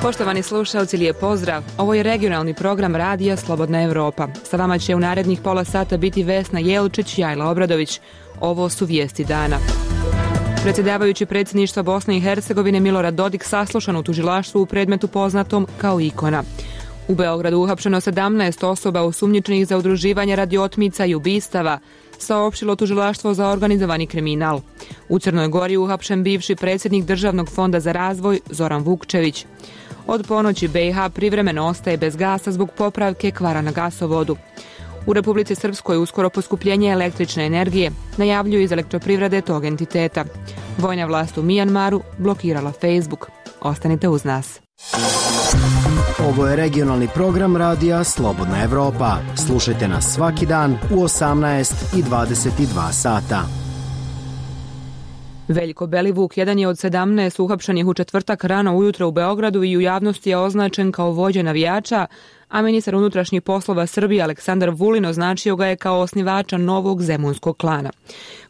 Poštovani slušalci, lijep pozdrav. Ovo je regionalni program Radija Slobodna Evropa. Sa vama će u narednih pola sata biti Vesna Jelčić i Ajla Obradović. Ovo su vijesti dana. Predsjedavajući predsjedništva Bosne i Hercegovine Milorad Dodik saslušan u tužilaštvu u predmetu poznatom kao Ikona. U Beogradu uhapšeno 17 osoba osumnjičenih za udruživanje radi otmica i ubistava, saopštilo tužilaštvo za organizovani kriminal. U Crnoj Gori uhapšen bivši predsjednik Državnog fonda za razvoj Zoran Vukčević. Od ponoći BiH privremeno ostaje bez gasa zbog popravke kvara na gasovodu. U Republici Srpskoj uskoro poskupljenje električne energije, najavljuju iz elektroprivrede tog entiteta. Vojna vlast u Mijanmaru blokirala Facebook. Ostanite uz nas. Ovo je regionalni program Radija Slobodna Evropa. Slušajte nas svaki dan u 18 i 22 sata. Veljko Belivuk jedan je od 17 uhapšenih u četvrtak rano ujutro u Beogradu i u javnosti je označen kao vođa navijača, a ministar unutrašnjih poslova Srbije Aleksandar Vulin označio ga je kao osnivača novog zemunskog klana.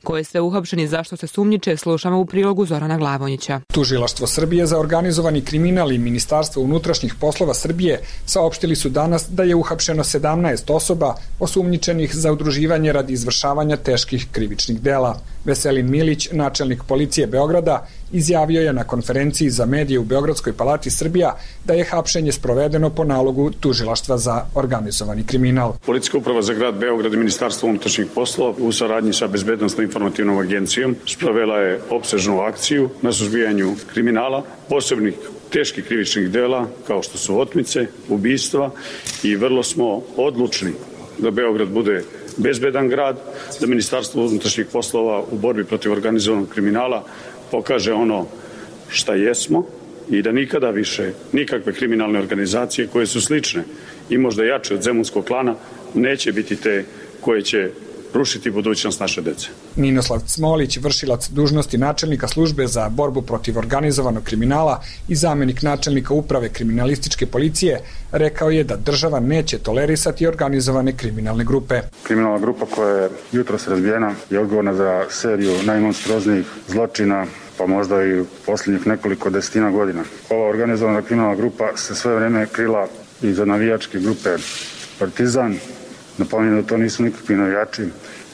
Ko je sve uhapšen i zašto se sumnjiče, slušamo u prilogu Zorana Glavonjića. Tužilaštvo Srbije za organizovani kriminal i Ministarstvo unutrašnjih poslova Srbije saopštili su danas da je uhapšeno 17 osoba osumnjičenih za udruživanje radi izvršavanja teških krivičnih dela. Veselin Milić, načelnik policije Beograda, izjavio je na konferenciji za medije u Beogradskoj palati Srbija da je hapšenje sprovedeno po nalogu Tužilaštva za organizovani kriminal. Policijska uprava za grad Beograd i Ministarstvo unutrašnjih poslova u saradnji sa Bezbednosno-informativnom agencijom sprovela je opsežnu akciju na suzbijanju kriminala, posebnih teških krivičnih dela kao što su otmice, ubistva i vrlo smo odlučni da Beograd bude bezbedan grad, da Ministarstvo unutrašnjih poslova u borbi protiv organizovanog kriminala pokaže ono šta jesmo i da nikada više nikakve kriminalne organizacije koje su slične i možda jače od zemunskog klana neće biti te koje će rušiti budućnost naše dece. Ninoslav Cmolić, vršilac dužnosti načelnika službe za borbu protiv organizovanog kriminala i zamenik načelnika uprave kriminalističke policije, rekao je da država neće tolerisati organizovane kriminalne grupe. Kriminalna grupa koja je jutros razbijena je odgovorna za seriju najmonstroznijih zločina, pa možda i posljednjih nekoliko desetina godina. Ova organizovana kriminalna grupa se sve vreme krila iza navijačke grupe Partizan. Napominjem da to nisu nikakvi navijači,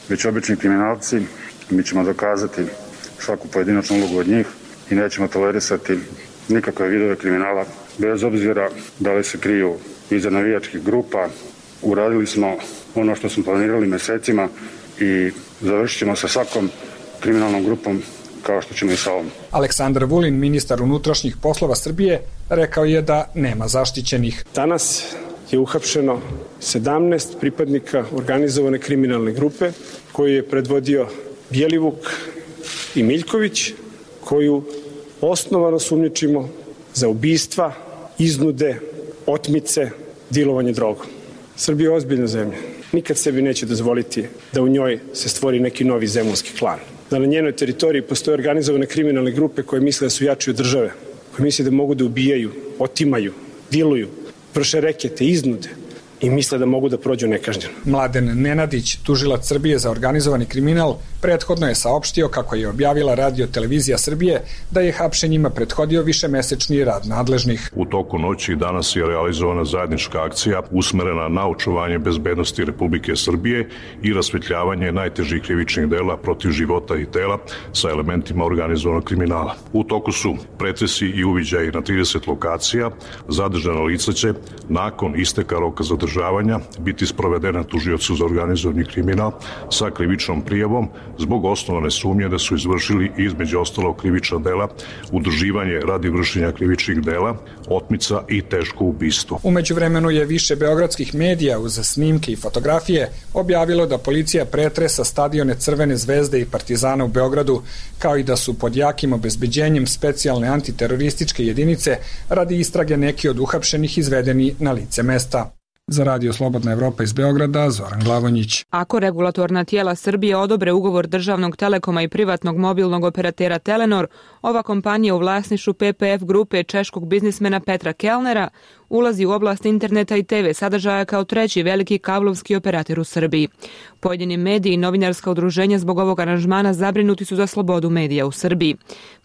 već obični kriminalci. Mi ćemo dokazati svaku pojedinačnu ulogu od njih i nećemo tolerisati nikakve vidove kriminala, bez obzira da li se kriju iza navijačkih grupa. Uradili smo ono što smo planirali mesecima i završit ćemo sa svakom kriminalnom grupom kao što ćemo i sa ovom. Aleksandar Vulin, ministar unutrašnjih poslova Srbije, rekao je da nema zaštićenih. Danas je uhapšeno 17 pripadnika organizovane kriminalne grupe koju je predvodio Bjelivuk i Miljković, koju osnovano sumnjičimo za ubistva, iznude, otmice, dilovanje drogom. Srbija je ozbiljna zemlja. Nikad sebi neće dozvoliti da u njoj se stvori neki novi zemunski klan. Da na njenoj teritoriji postoje organizovane kriminalne grupe koje misle da su jači od države, koje misle da mogu da ubijaju, otimaju, diluju, vrše rekete, iznude i misle da mogu da prođu nekažnjeno. Mladen Nenadić, tužilac Srbije za organizovani kriminal, prethodno je saopštio kako je objavila Radio Televizija Srbije da je hapšenjima prethodio višemesečni rad nadležnih. U toku noći danas je realizovana zajednička akcija usmerena na očuvanje bezbednosti Republike Srbije i rasvetljavanje najtežih krivičnih dela protiv života i tela sa elementima organizovanog kriminala. U toku su pretresi i uviđaji na 30 lokacija. Zadržana lica će nakon isteka roka zadržavanja biti sprovedena tužiocu za organizovani kriminal sa krivičnom prijavom zbog osnovane sumnje da su izvršili između ostalog krivična dela, udruživanje radi vršenja krivičnih dela, otmica i teško ubistvo. U međuvremenu je više beogradskih medija uz snimke i fotografije objavilo da policija pretresa stadione Crvene zvezde i Partizana u Beogradu, kao i da su pod jakim obezbeđenjem specijalne antiterorističke jedinice radi istrage neki od uhapšenih izvedeni na lice mesta. Za Radio Slobodna Evropa iz Beograda, Zoran Glavonjić. Ako regulatorna tijela Srbije odobre ugovor državnog Telekoma i privatnog mobilnog operatera Telenor, ova kompanija u vlasništvu PPF grupe češkog biznismena Petra Kellnera ulazi u oblast interneta i TV sadržaja kao treći veliki kablovski operater u Srbiji. Pojedini mediji i novinarska udruženja zbog ovog aranžmana zabrinuti su za slobodu medija u Srbiji.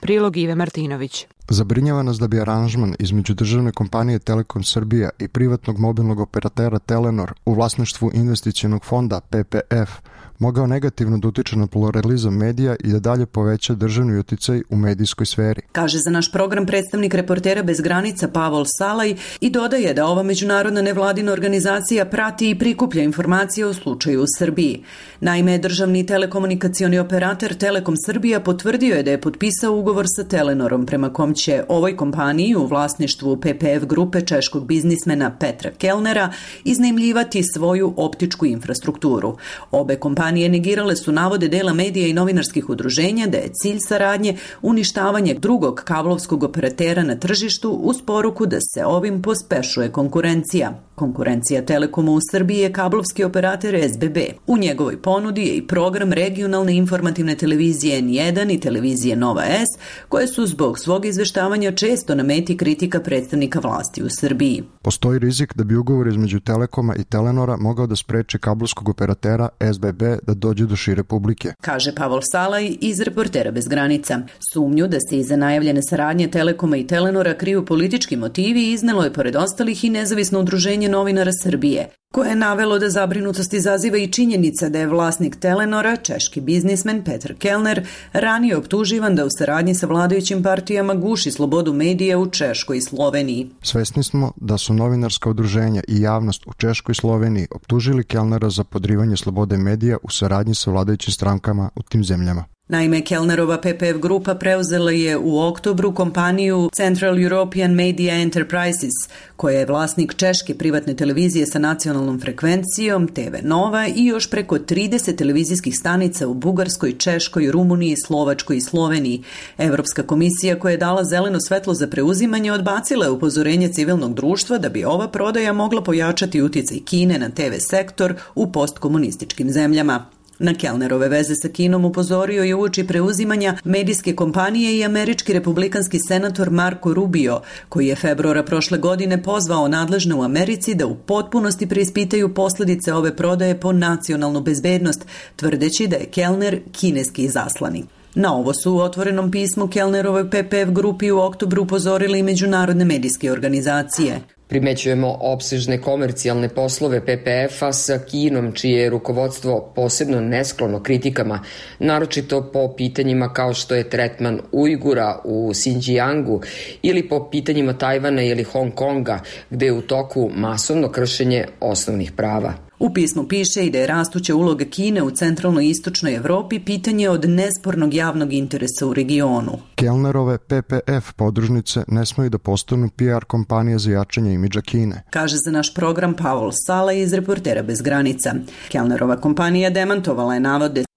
Prilog Ive Martinović. Zabrinjava nas da bi aranžman između državne kompanije Telekom Srbija i privatnog mobilnog operatera Telenor u vlasništvu investicionog fonda PPF mogao negativno da utiče na pluralizam medija i da dalje poveća državni uticaj u medijskoj sferi. Kaže za naš program predstavnik Reportera bez granica Pavol Salaj i dodaje da ova međunarodna nevladina organizacija prati i prikuplja informacije o slučaju u Srbiji. Naime, državni telekomunikacioni operator Telekom Srbija potvrdio je da je potpisao ugovor sa Telenorom prema kom će ovoj kompaniji u vlasništvu PPF grupe češkog biznismena Petra Kellnera iznajmljivati svoju optičku infrastrukturu. Obe kompanije negirale su navode dela medija i novinarskih udruženja da je cilj saradnje uništavanje drugog kablovskog operatera na tržištu uz poruku da se ovim pospešuje konkurencija. Konkurencija Telekoma u Srbiji je kablovski operater SBB. U njegovoj ponudi je i program regionalne informativne televizije N1 i televizije Nova S, koje su zbog svog izveštavanja često na meti kritika predstavnika vlasti u Srbiji. Postoji rizik da bi ugovor između Telekoma i Telenora mogao da spreči kablovskog operatera SBB da dođe do šire publike, kaže Pavol Salaj iz Reportera bez granica. Sumnju da se iza najavljene saradnje Telekoma i Telenora kriju politički motivi iznelo je pored ostalih i nezavisno udruženje novinara Srbije, koje je navelo da zabrinutost izaziva i činjenica da je vlasnik Telenora, češki biznismen Petar Kellner, ranije optuživan da u saradnji sa vladajućim partijama guši slobodu medija u Češkoj i Sloveniji. Svesni smo da su novinarska udruženja i javnost u Češkoj i Sloveniji optužili Kellnera za podrivanje slobode medija u saradnji sa vladajućim strankama u tim zemljama. Naime, Kellnerova PPF grupa preuzela je u oktobru kompaniju Central European Media Enterprises, koja je vlasnik češke privatne televizije sa nacionalnom frekvencijom TV Nova i još preko 30 televizijskih stanica u Bugarskoj, Češkoj, Rumuniji, Slovačkoj i Sloveniji. Evropska komisija koja je dala zeleno svetlo za preuzimanje odbacila je upozorenje civilnog društva da bi ova prodaja mogla pojačati uticaj Kine na TV sektor u postkomunističkim zemljama. Na Kellnerove veze sa Kinom upozorio je uoči preuzimanja medijske kompanije i američki republikanski senator Marco Rubio, koji je februara prošle godine pozvao nadležne u Americi da u potpunosti preispitaju posljedice ove prodaje po nacionalnu bezbednost, tvrdeći da je Kellner kineski izaslanik. Na ovo su u otvorenom pismu Kellnerovoj PPF grupi u oktobru upozorili i međunarodne medijske organizacije. Primećujemo opsežne komercijalne poslove PPF-a sa Kinom, čije je rukovodstvo posebno nesklono kritikama, naročito po pitanjima kao što je tretman Ujgura u Xinjiangu ili po pitanjima Tajvana ili Hong Konga, gde je u toku masovno kršenje osnovnih prava. U pismu piše i da je rastuća uloga Kine u centralnoj i istočnoj Evropi pitanje od nespornog javnog interesa u regionu. Kellnerove PPF podružnice ne smeju da postanu PR kompanije za jačanje imidža Kine, kaže za naš program Pavol Salaj iz Reportera bez granica. Kellnerova kompanija demantovala je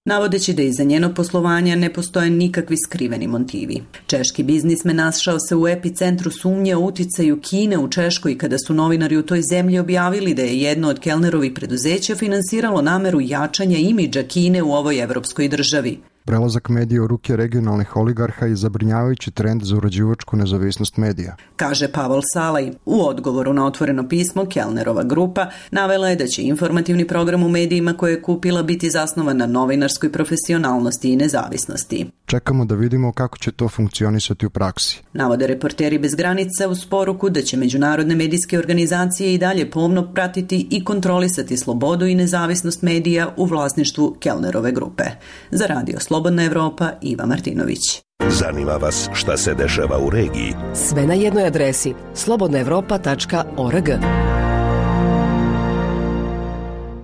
navodeći da iza njenog poslovanja ne postoje nikakvi skriveni motivi. Češki biznismen našao se u epicentru sumnje o uticaju Kine u Češkoj kada su novinari u toj zemlji objavili da je jedno od Kellnerovih preduzeća finansiralo nameru jačanja imidža Kine u ovoj evropskoj državi. Prelazak medija u ruke regionalnih oligarha je zabrinjavajući trend za uređivačku nezavisnost medija, kaže Pavol Salaj. U odgovoru na otvoreno pismo Kellnerova grupa navela je da će informativni program u medijima koje je kupila biti zasnovan na novinarskoj profesionalnosti i nezavisnosti. Čekamo da vidimo kako će to funkcionisati u praksi, navode Reporteri bez granica uz poruku da će međunarodne medijske organizacije i dalje pomno pratiti i kontrolisati slobodu i nezavisnost medija u vlasništvu Kellnerove grupe. Za Radio Slobodna Evropa, Iva Martinović. Zanima vas šta se dešava u regiji? Sve na jednoj adresi slobodnaevropa.org.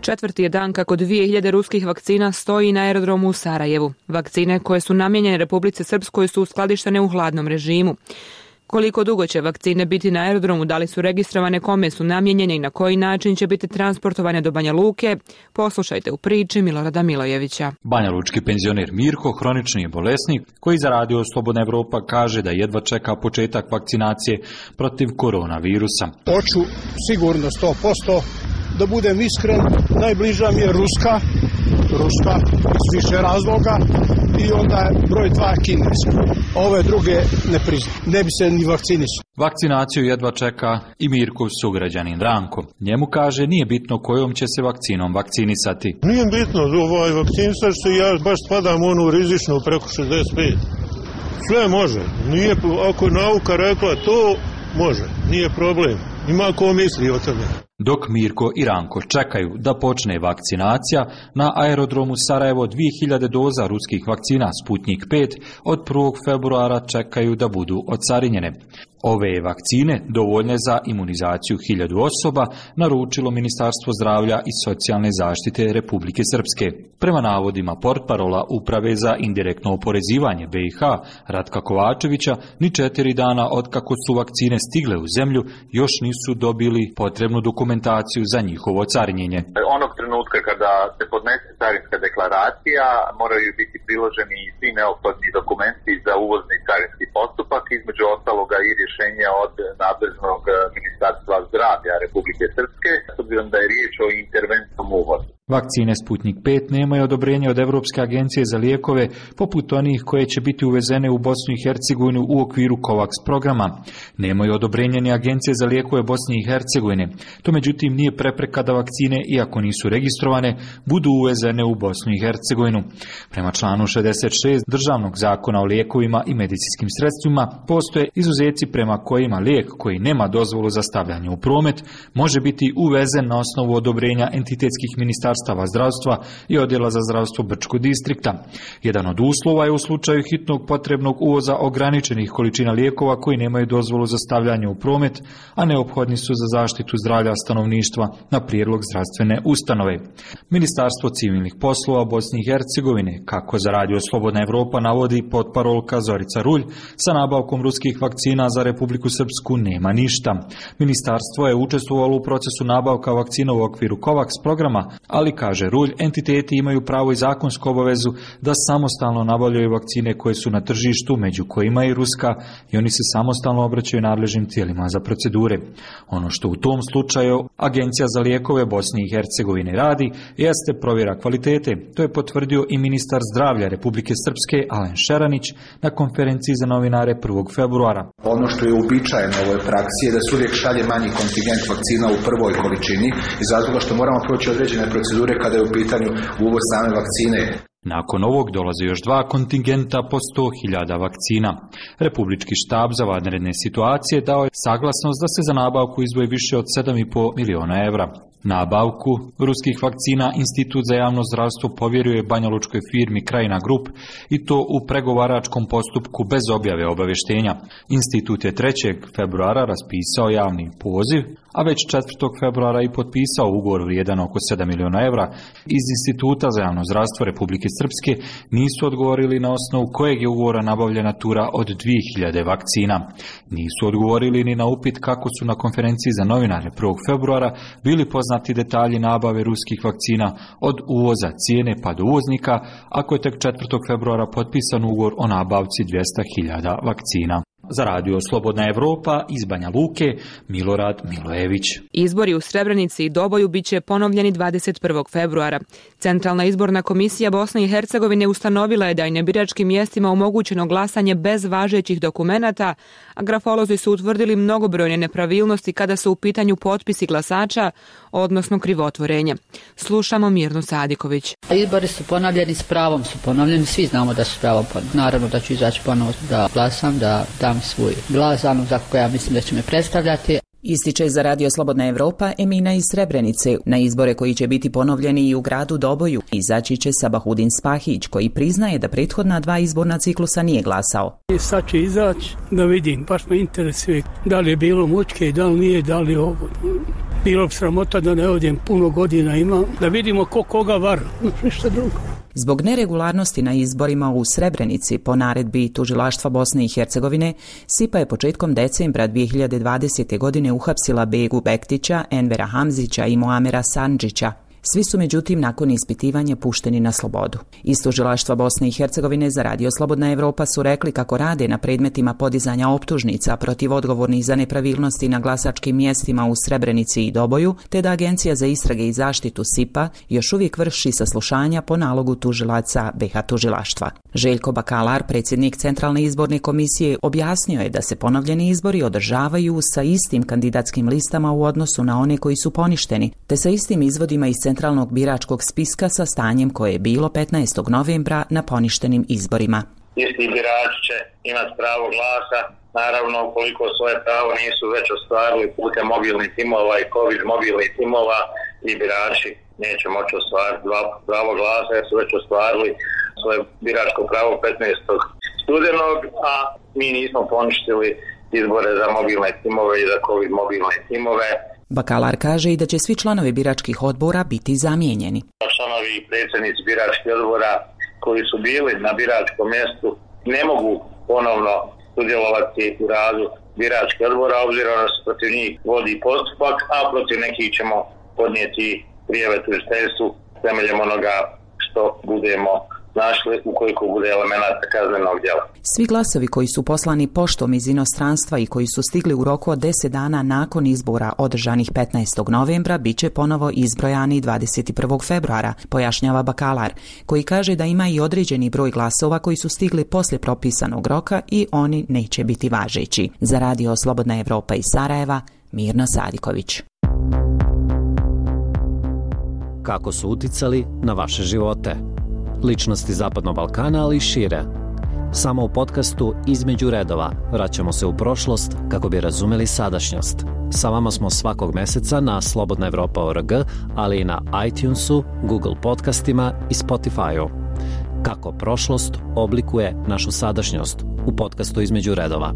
Četvrti je dan kako 2000 ruskih vakcina stoji na aerodromu u Sarajevu. Vakcine koje su namijenjene Republici Srpskoj su uskladištene u hladnom režimu. Koliko dugo će vakcine biti na aerodromu, da li su registrovane, kome su namijenjene i na koji način će biti transportovane do Banja Luke, poslušajte u priči Milorada Milojevića. Banjalučki penzioner Mirko, hronični je bolesnik koji za Radio Slobodna Evropa kaže da jedva čeka početak vakcinacije protiv koronavirusa. Hoću sigurno 100%, da budem iskren, najbliža mi je Ruska iz više razloga i onda je broj 2 Kineska. Ove druge ne priznam, ne bi se ni vakcinisao. Vakcinaciju jedva čeka i Mirkov sugrađanin Ranko. Njemu kaže nije bitno kojom će se vakcinom vakcinisati. Nije bitno, vakcinisati se, ja baš spadam u onu rizičnu preko 65. Sve može. Nije, ako je nauka rekla to, može. Nije problem. Ima ko misli o tome. Dok Mirko i Ranko čekaju da počne vakcinacija, na aerodromu Sarajevo 2000 doza ruskih vakcina Sputnik 5 od 1. februara čekaju da budu ocarinjene. Ove vakcine dovoljne za imunizaciju 1000 osoba naručilo Ministarstvo zdravlja i socijalne zaštite Republike Srpske. Prema navodima portparola Uprave za indirektno oporezivanje BiH Ratka Kovačevića, ni 4 dana otkako su vakcine stigle u zemlju još nisu dobili potrebnu dokumentaciju za njihovo carinjenje. Onog trenutka kada se podnese carinska deklaracija, moraju biti priloženi svi neophodni dokumenti za uvozni carinski postupak, između ostaloga i rješenja od nadležnog Ministarstva zdravlja Republike Srpske, s obzirom da je riječ o interventnom uvozu. Vakcine Sputnik 5 nemaju odobrenje od Europske agencije za lijekove, poput onih koje će biti uvezene u Bosnu i Hercegovinu u okviru COVAX programa. Nemaju odobrenje ni Agencije za lijekove Bosne i Hercegovine. To međutim nije prepreka da vakcine, iako nisu registrovane, budu uvezene u Bosnu i Hercegovinu. Prema članu 66 Državnog zakona o lijekovima i medicinskim sredstvima postoje izuzeci prema kojima lijek koji nema dozvolu za stavljanje u promet može biti uvezen na osnovu odobrenja entitetskih ministarstava zdravstva i odjela za zdravstvo Brčkog distrikta. Jedan od uslova je u slučaju hitnog potrebnog uvoza ograničenih količina lijekova koji nemaju dozvolu za stavljanje u promet, a neophodni su za zaštitu zdravlja stanovništva na prijedlog zdravstvene ustanove. Ministarstvo civilnih poslova Bosne i Hercegovine, kako za Radio Slobodna Evropa navodi potparolka Zorica Rulj, sa nabavkom ruskih vakcina za Republiku Srpsku nema ništa. Ministarstvo je učestvovalo u procesu nabavka vakcina u okviru COVAX programa, ali, kaže Rulj, entiteti imaju pravo i zakonsku obavezu da samostalno nabavljaju vakcine koje su na tržištu, među kojima i ruska, i oni se samostalno obraćaju nadležnim tijelima za procedure. Ono što u tom slučaju Agencija za lijekove Bosne i Hercegovine radi jeste provjera kvalitete. To je potvrdio i ministar zdravlja Republike Srpske Alen Šeranić na konferenciji za novinare 1. februara. Ono što je uobičajeno u ovoj praksi je da se uvijek šalje manji kontingent vakcina u prvoj količini iz razloga što moramo proći određene procedure kada je u pitanju uvoz same vakcine. Nakon ovog dolaze još 2 kontingenta po 100.000 vakcina. Republički štab za vanredne situacije dao je saglasnost da se za nabavku izdvoji više od 7,5 miliona evra. Nabavku ruskih vakcina Institut za javno zdravstvo povjeruje banjalučkoj firmi Krajina Grup i to u pregovaračkom postupku bez objave obavještenja. Institut je 3. februara raspisao javni poziv, a već 4. februara i potpisao ugovor vrijedan oko 7 miliona evra. Iz Instituta za javno zdravstvo Republike Srpske nisu odgovorili na osnovu kojeg je ugovora nabavljena tura od 2000 vakcina. Nisu odgovorili ni na upit kako su na konferenciji za novinare 1. februara bili poznati detalji nabave ruskih vakcina od uvoza, cijene pa do uvoznika, ako je tek 4. februara potpisan ugovor o nabavci 200.000 vakcina. Za Radio Slobodna Evropa iz Banja Luke, Milorad Milojević. Izbori u Srebrenici i Doboju biće ponovljeni 21. februara. Centralna izborna komisija Bosne i Hercegovine ustanovila je da je na biračkim mjestima omogućeno glasanje bez važećih dokumenata, a grafolozi su utvrdili mnogobrojne nepravilnosti kada su u pitanju potpisi glasača, odnosno krivotvorenja. Slušamo Mirnu Sadiković. Izbori su ponovljeni, s pravom su ponovljeni, svi znamo da su pravom ponovljeni. Naravno da ću izaći ponovo da glasam, da dam svoj glas, za koga ja mislim da će me predstavljati. Ističe za Radio Slobodna Evropa Emina iz Srebrenice. Na izbore koji će biti ponovljeni i u gradu Doboju izaći će Sabahudin Spahić, koji priznaje da prethodna 2 izborna ciklusa nije glasao. Sad će izaći da vidim, baš me interesuje da li je bilo mučke, da li nije, da li ovo. Bilo bi sramota da ne odem, puno godina imam, da vidimo ko koga vara, ništa drugo. Zbog neregularnosti na izborima u Srebrenici po naredbi Tužilaštva Bosne i Hercegovine, SIPA je početkom decembra 2020. godine uhapsila Begu Bektića, Envera Hamzića i Muamera Sandžića. Svi su međutim nakon ispitivanja pušteni na slobodu. Iz tužilaštva Bosne i Hercegovine za Radio Slobodna Evropa su rekli kako rade na predmetima podizanja optužnica protiv odgovornih za nepravilnosti na glasačkim mjestima u Srebrenici i Doboju, te da Agencija za istrage i zaštitu SIPA još uvijek vrši saslušanja po nalogu tužilaca BiH tužilaštva. Željko Bakalar, predsjednik Centralne izborne komisije, objasnio je da se ponovljeni izbori održavaju sa istim kandidatskim listama u odnosu na one koji su poništeni, te sa istim izvodima iz centralnog biračkog spiska sa stanjem koje je bilo 15. novembra na poništenim izborima. Isti birači će imati pravo glasa, naravno ukoliko svoje pravo nisu već ostvarili putem mobilnih timova i COVID mobilnih timova, i birači neće moći ostvariti pravo glasa jer su već ostvarili svoje biračko pravo 15. studenog, a mi nismo poništili izbore za mobilne timove i za COVID mobilne timove. Bakalar kaže i da će svi članovi biračkih odbora biti zamijenjeni. Članovi i predsjednici biračkih odbora koji su bili na biračkom mjestu ne mogu ponovno sudjelovati u radu biračkih odbora, obzirom da se protiv njih vodi postupak, a protiv nekih ćemo podnijeti prijave tužiteljstvu temeljem onoga što budemo našli ukoliko bude elemenata kaznenog djela. Svi glasovi koji su poslani poštom iz inostranstva i koji su stigli u roku od 10 dana nakon izbora održanih 15. novembra bit će ponovo izbrojani 21. februara, pojašnjava Bakalar, koji kaže da ima i određeni broj glasova koji su stigli poslije propisanog roka i oni neće biti važeći. Za Radio Slobodna Evropa iz Sarajeva, Mirna Sadiković. Kako su uticali na vaše živote? Ličnosti Zapadnog Balkana, ali i šire. Samo u podcastu Između redova vraćamo se u prošlost kako bi razumeli sadašnjost. Sa vama smo svakog meseca na slobodnaevropa.org, ali i na iTunesu, Google podcastima i Spotify-u. Kako prošlost oblikuje našu sadašnjost u podcastu Između redova.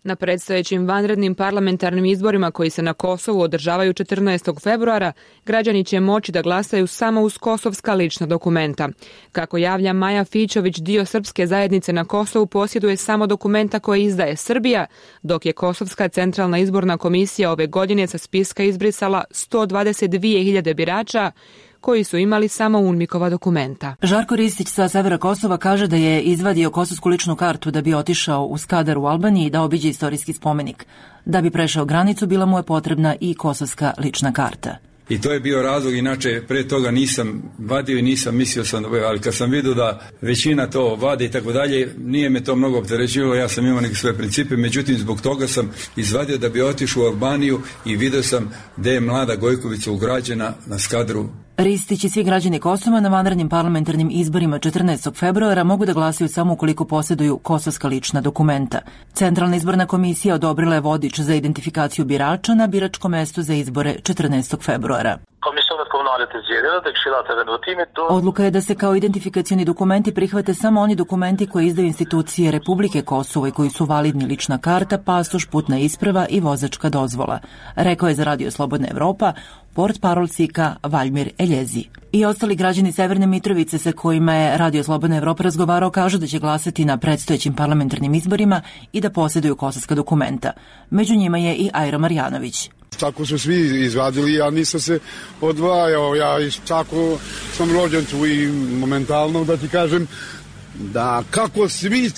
Na predstojećim vanrednim parlamentarnim izborima koji se na Kosovu održavaju 14. februara, građani će moći da glasaju samo uz kosovska lična dokumenta. Kako javlja Maja Fićović, dio srpske zajednice na Kosovu posjeduje samo dokumenta koje izdaje Srbija, dok je Kosovska centralna izborna komisija ove godine sa spiska izbrisala 122.000 birača koji su imali samo UNMIK-ova dokumenta. Žarko Ristić sa severa Kosova kaže da je izvadio kosovsku ličnu kartu da bi otišao u Skadar u Albaniji da obiđe istorijski spomenik. Da bi prešao granicu bila mu je potrebna i kosovska lična karta. I to je bio razlog, inače pre toga nisam vadio i nisam mislio sam, ali kad sam vidio da većina to vade i tako dalje, nije me to mnogo opterećivalo, ja sam imao neke svoje principe, međutim zbog toga sam izvadio da bi otišao u Albaniju i vidio sam gde je mlada Gojkovica ugrađena na Skadru. Ristić i svi građani Kosova na vanrednim parlamentarnim izborima 14. februara mogu da glasaju samo ukoliko posjeduju kosovska lična dokumenta. Centralna izborna komisija odobrila je vodič za identifikaciju birača na biračkom mestu za izbore 14. februara. Odluka je da se kao identifikacioni dokumenti prihvate samo oni dokumenti koje izdaju institucije Republike Kosovo i koji su validni lična karta, pasoš, putna isprava i vozačka dozvola, rekao je za Radio Slobodna Evropa portparol SIK-a Valjmir Eljezi. I ostali građani Severne Mitrovice sa kojima je Radio Slobodna Evropa razgovarao kažu da će glasati na predstojećim parlamentarnim izborima i da posjeduju kosovska dokumenta. Među njima je i Ajro Marjanović. Tako su svi izvadili, ja nisam se odvajao, ja tako sam rođen tu i momentalno da ti kažem da kako svi,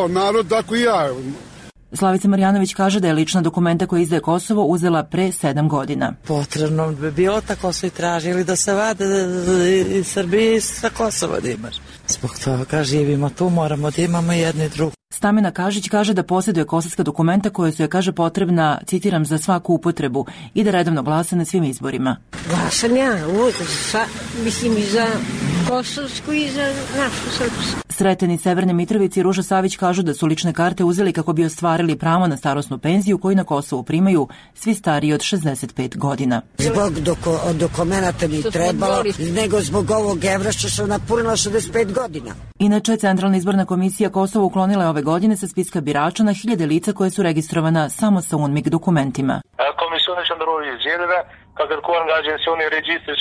narod, tako i ja. Slavica Marjanović kaže da je lična dokumenta koja izdaje Kosovo uzela pre 7 godina. Potrebno bi bilo, tako su i tražili da se vade iz Srbije i sa Kosova da imaš. Zbog toga živimo tu, moramo da imamo jedni drugi. Stamena Kažić kaže da posjeduje kosovska dokumenta koja su je, kaže, potrebna, citiram, za svaku upotrebu i da redovno glasa na svim izborima. Glasam ja, mislim i za kosovsku i za našu srpsku. Sreteni Severne Mitrovici i Ruža Savić kažu da su lične karte uzeli kako bi ostvarili pravo na starosnu penziju koju na Kosovu primaju svi stariji od 65 godina. Zbog dokumenta mi trebalo, nego zbog ovog evra što sam napunila 65 godina. Inače, Centralna izborna komisija Kosovo uklonila je ove godine sa spiska birača na 1000 lica koje su registrovana samo sa UNMIK dokumentima. Комисиони членови изјавиле како кој ангажен се они регистри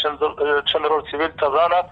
членови цивил тавранат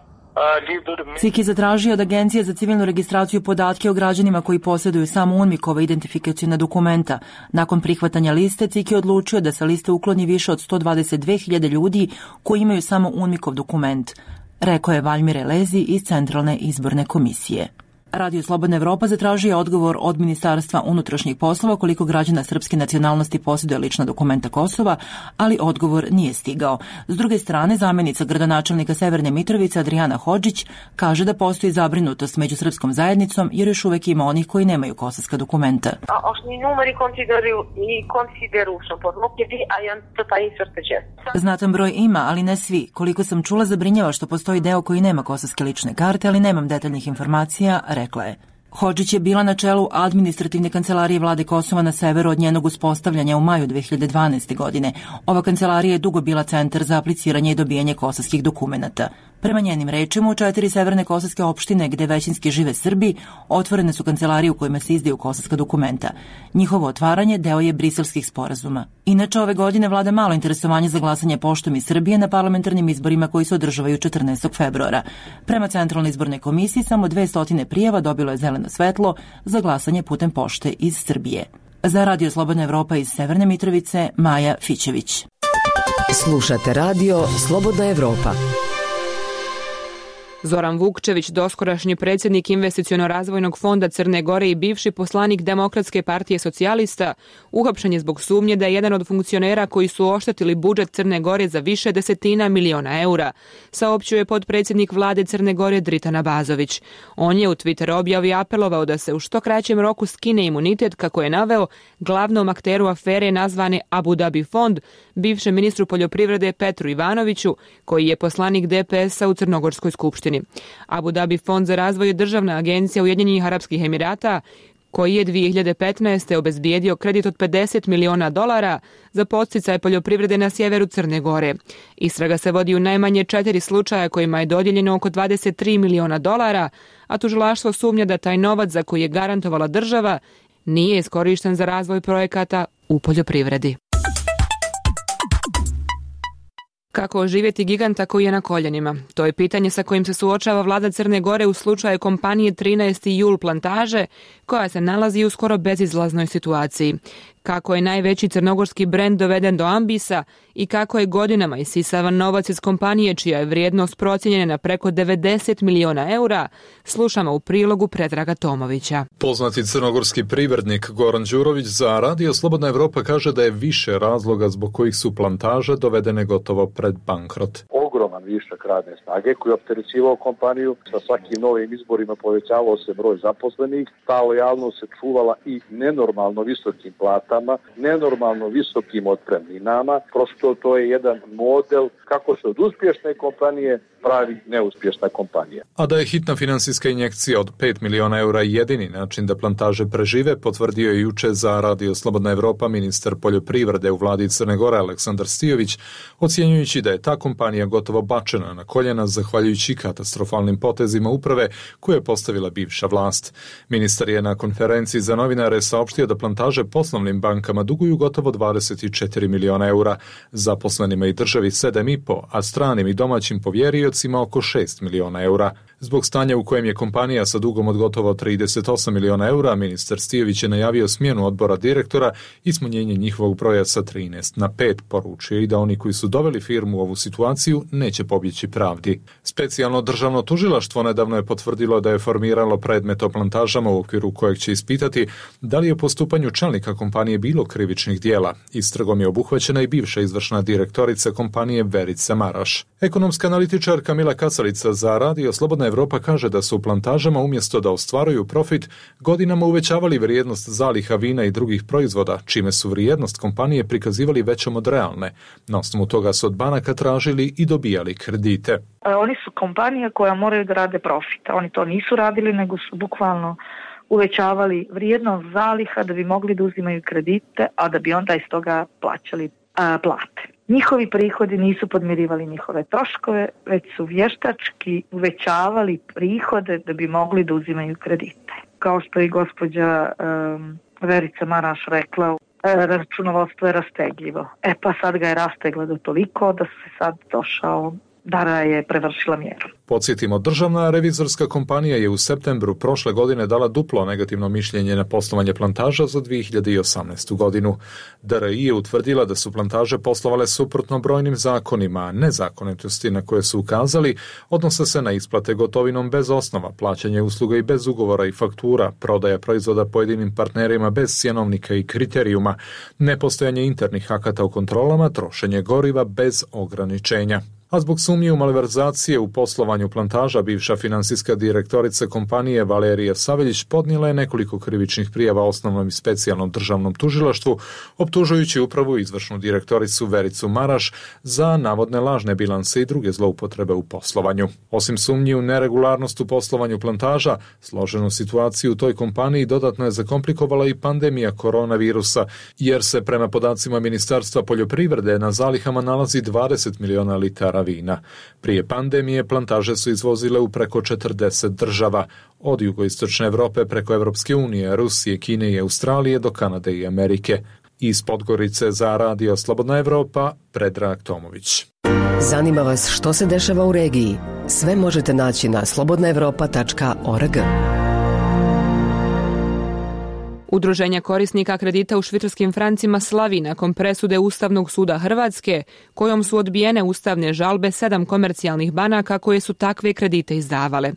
CIK je zatražio od Agencije za civilnu registraciju podatke o građanima koji posjeduju samo UNMIK-ova identifikacijona dokumenta. Nakon prihvatanja liste, CIK je odlučio da sa liste ukloni više od 122.000 ljudi koji imaju samo UNMIK-ov dokument, rekao je Valjmir Elezi iz Centralne izborne komisije. Radio Slobodna Evropa zatražio odgovor od Ministarstva unutrašnjih poslova koliko građana srpske nacionalnosti posjeduje lična dokumenta Kosova, ali odgovor nije stigao. S druge strane, zamjenica gradonačelnika Severne Mitrovice Adriana Hodžić kaže da postoji zabrinutost među srpskom zajednicom jer još uvek ima onih koji nemaju kosovska dokumenta. Znatan broj ima, ali ne svi. Koliko sam čula, zabrinjava što postoji deo koji nema kosovske lične karte, ali nemam detaljnih informacija, rekla je. Hodžić je bila na čelu administrativne kancelarije vlade Kosova na severu od njenog uspostavljanja u maju 2012. godine. Ova kancelarija je dugo bila centar za apliciranje i dobijanje kosovskih dokumenata. Prema njenim rečima, u 4 severne kosovske opštine gde većinski žive Srbi, otvorene su kancelarije u kojima se izdaju kosovska dokumenta. Njihovo otvaranje deo je briselskih sporazuma. Inače, ove godine vlada malo interesovanje za glasanje poštom iz Srbije na parlamentarnim izborima koji se održavaju 14. februara. Prema Centralnoj izbornoj komisiji, samo 200 prijava dobilo je zeleno svetlo za glasanje putem pošte iz Srbije. Za Radio Slobodna Evropa iz Severne Mitrovice, Maja Fićević. Slušate Radio Slobodna Evropa. Zoran Vukčević, doskorašnji predsjednik Investiciono-razvojnog fonda Crne Gore i bivši poslanik Demokratske partije socijalista, uhapšen je zbog sumnje da je jedan od funkcionera koji su oštetili budžet Crne Gore za više desetina miliona eura, saopćio je potpredsjednik vlade Crne Gore Dritan Abazović. On je u Twitter objavi apelovao da se u što kraćem roku skine imunitet, kako je naveo, glavnom akteru afere nazvane Abu Dhabi fond, bivšem ministru poljoprivrede Petru Ivanoviću, koji je poslanik DPS-a u Crnogorskoj skupštini. Abu Dhabi fond za razvoj je državna agencija Ujedinjenih Arapskih Emirata, koji je 2015. obezbijedio kredit od $50 miliona za podsticaj poljoprivrede na sjeveru Crne Gore. Istraga se vodi u najmanje 4 slučaja kojima je dodijeljeno oko $23 miliona, a tužilaštvo sumnja da taj novac za koji je garantovala država nije iskorišten za razvoj projekata u poljoprivredi. Kako oživjeti giganta koji je na koljenima? To je pitanje sa kojim se suočava vlada Crne Gore u slučaju kompanije 13. jul plantaže, koja se nalazi u skoro bezizlaznoj situaciji. Kako je najveći crnogorski brend doveden do ambisa i kako je godinama isisavan novac iz kompanije čija je vrijednost procijenjena na preko 90 miliona eura, slušamo u prilogu Predraga Tomovića. Poznati crnogorski privrednik Goran Đurović za Radio Slobodna Evropa kaže da je više razloga zbog kojih su plantaže dovedene gotovo pred bankrot. Ogroman višak radne snage koji je opterećivao kompaniju, sa svakim novim izborima povećavao se broj zaposlenih, ta lojalnost se čuvala i nenormalno visokim platama, nenormalno visokim otpremninama. Prosto to je jedan model kako se od uspješne kompanije pravi neuspješna kompanija. A da je hitna finansijska injekcija od 5 miliona eura jedini način da plantaže prežive, potvrdio je juče za Radio Slobodna Evropa ministar poljoprivrede u vladi Crne Gore Aleksandar Stijović, ocjenjujući da je ta kompanija gotovo bačena na koljena zahvaljujući katastrofalnim potezima uprave koje je postavila bivša vlast. Ministar je na konferenciji za novinare saopštio da plantaže poslovnim bankama duguju gotovo 24 miliona eura, zaposlenima i državi 7,5, a stranim i domaćim povjeriocima oko 6 miliona eura. Zbog stanja u kojem je kompanija sa dugom od gotovo 38 miliona eura, ministar Stijović je najavio smjenu odbora direktora i smanjenje njihovog broja sa 13 na 5, poručio i da oni koji su doveli firmu u ovu situaciju neće pobjeći pravdi. Specijalno državno tužilaštvo nedavno je potvrdilo da je formiralo predmet o plantažama u okviru kojeg će ispitati da li je u postupanju čelnika kompanije bilo krivičnih dijela. Istragom je obuhvaćena i bivša izvršna direktorica kompanije Verica Maraš. Ekonomska analitičarka Mila Kacalica za Radio Slobodna Evropa kaže da su u plantažama umjesto da ostvaruju profit godinama uvećavali vrijednost zaliha vina i drugih proizvoda, čime su vrijednost kompanije prikazivali većom od realne. Na osnovu toga su od banaka tražili i dobijali kredite. Oni su kompanija koja moraju da rade profit. Oni to nisu radili, nego su bukvalno uvećavali vrijednost zaliha da bi mogli da uzimaju kredite, a da bi onda iz toga plaćali plate. Njihovi prihodi nisu podmirivali njihove troškove, već su vještački uvećavali prihode da bi mogli da uzimaju kredite. Kao što je gospođa Verica Maraš rekla, računovodstvo je rastegljivo. Pa sad ga je rastegla do toliko da se sad došao da je prevršila mjeru. Podsjetimo, državna revizorska kompanija je u septembru prošle godine dala duplo negativno mišljenje na poslovanje plantaža za 2018. godinu. DRI je utvrdila da su plantaže poslovale suprotno brojnim zakonima, a nezakonitosti na koje su ukazali odnose se na isplate gotovinom bez osnova, plaćanje usluga i bez ugovora i faktura, prodaja proizvoda pojedinim partnerima bez cjenovnika i kriterijuma, nepostojanje internih akata u kontrolama, trošenje goriva bez ograničenja. A zbog sumnje u malverzacije u poslovanju plantaža, bivša finansijska direktorica kompanije Valerija Saveljić podnijela je nekoliko krivičnih prijava osnovnom i specijalnom državnom tužilaštvu, optužujući upravu i izvršnu direktoricu Vericu Maraš za navodne lažne bilanse i druge zloupotrebe u poslovanju. Osim sumnji u neregularnost u poslovanju plantaža, složenu situaciju u toj kompaniji dodatno je zakomplikovala i pandemija koronavirusa, jer se prema podacima Ministarstva poljoprivrede na zalihama nalazi 20 miliona litara vina. Prije pandemije plantaže su izvozile u preko 40 država, od jugoistočne Evrope preko Evropske unije, Rusije, Kine i Australije do Kanade i Amerike. Iz Podgorice za Radio Slobodna Evropa, Predrag Tomović. Zanima vas što se dešava u regiji? Sve možete naći na slobodnaevropa.org. Udruženje korisnika kredita u švicarskim francima slavi nakon presude Ustavnog suda Hrvatske, kojom su odbijene ustavne žalbe 7 komercijalnih banaka koje su takve kredite izdavale.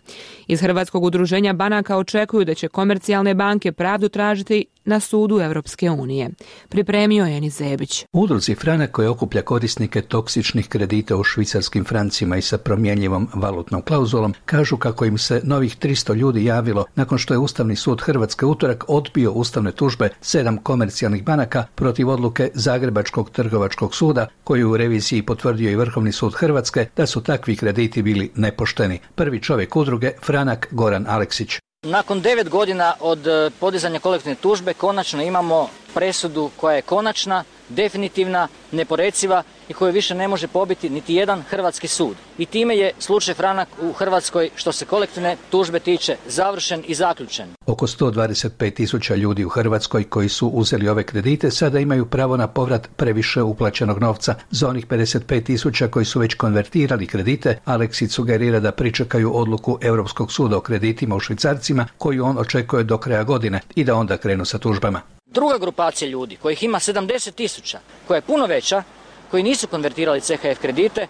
Iz Hrvatskog udruženja banaka očekuju da će komercijalne banke pravdu tražiti na sudu Europske unije. Pripremio je Enis Zebić. Udruzi Franak koja okuplja korisnike toksičnih kredita u švicarskim francima i sa promjenjivom valutnom klauzulom kažu kako im se novih 300 ljudi javilo nakon što je Ustavni sud Hrvatske utorak odbio ustavne tužbe 7 komercijalnih banaka protiv odluke Zagrebačkog trgovačkog suda, koju u reviziji potvrdio i Vrhovni sud Hrvatske da su takvi krediti bili nepošteni. Prvi čovjek udruge Franak Goran Aleksić. Nakon 9 godina od podizanja kolektivne tužbe konačno imamo presudu koja je konačna, definitivna, neporeciva i koju više ne može pobiti niti jedan hrvatski sud. I time je slučaj Franak u Hrvatskoj što se kolektivne tužbe tiče završen i zaključen. Oko 125.000 ljudi u Hrvatskoj koji su uzeli ove kredite sada imaju pravo na povrat previše uplaćenog novca. Za onih 55.000 koji su već konvertirali kredite, Aleksić sugerira da pričekaju odluku Europskog suda o kreditima u švicarcima koju on očekuje do kraja godine i da onda krenu sa tužbama. Druga grupacija ljudi, kojih ima 70.000, koja je puno veća, koji nisu konvertirali CHF kredite,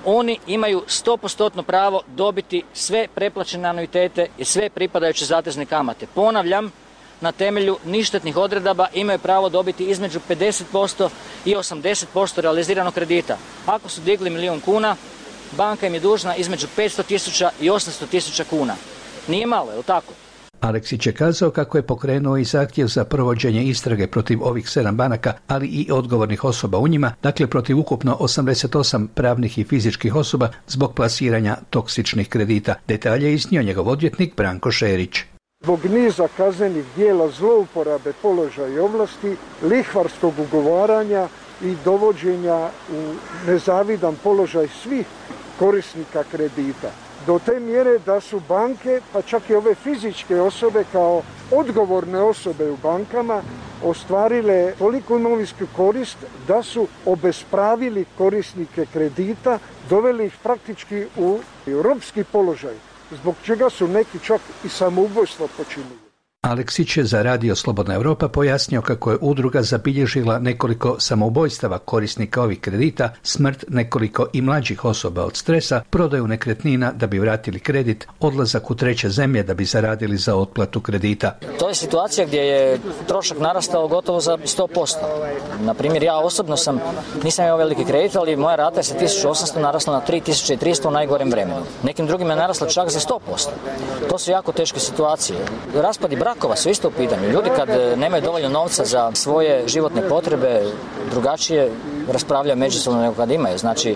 oni imaju 100% pravo dobiti sve preplaćene anuitete i sve pripadajuće zatezne kamate. Ponavljam, na temelju ništetnih odredaba imaju pravo dobiti između 50% i 80% realiziranog kredita. Ako su digli 1 milijun kuna, banka im je dužna između 500.000 i 800.000 kuna. Nije malo, je li tako? Aleksić je kazao kako je pokrenuo i zahtjev za provođenje istrage protiv ovih 7 banaka, ali i odgovornih osoba u njima, dakle protiv ukupno 88 pravnih i fizičkih osoba zbog plasiranja toksičnih kredita. Detalje je iznio njegov odvjetnik Branko Šerić. Zbog niza kaznenih dijela zlouporabe položaja i ovlasti, lihvarskog ugovaranja i dovođenja u nezavidan položaj svih korisnika kredita. Do te mjere da su banke, pa čak i ove fizičke osobe kao odgovorne osobe u bankama, ostvarile toliko imovinsku korist da su obespravili korisnike kredita, doveli ih praktički u ropski položaj, zbog čega su neki čak i samoubojstvo počinili. Aleksić je za Radio Slobodna Evropa pojasnio kako je udruga zabilježila nekoliko samoubojstava korisnika ovih kredita, smrt nekoliko i mlađih osoba od stresa, prodaju nekretnina da bi vratili kredit, odlazak u treće zemlje da bi zaradili za otplatu kredita. To je situacija gdje je trošak narastao gotovo za 100%. Na primjer, ja osobno nisam imao veliki kredit, ali moja rata je sa 1.800 narasla na 3.300 u najgorem vremenu. Nekim drugim je narasla čak za 100%. To su jako teške situacije. Raspadi brakova su isto u pitanju. Ljudi kad nemaju dovoljno novca za svoje životne potrebe, drugačije raspravljaju međusobno nego kad imaju. Znači,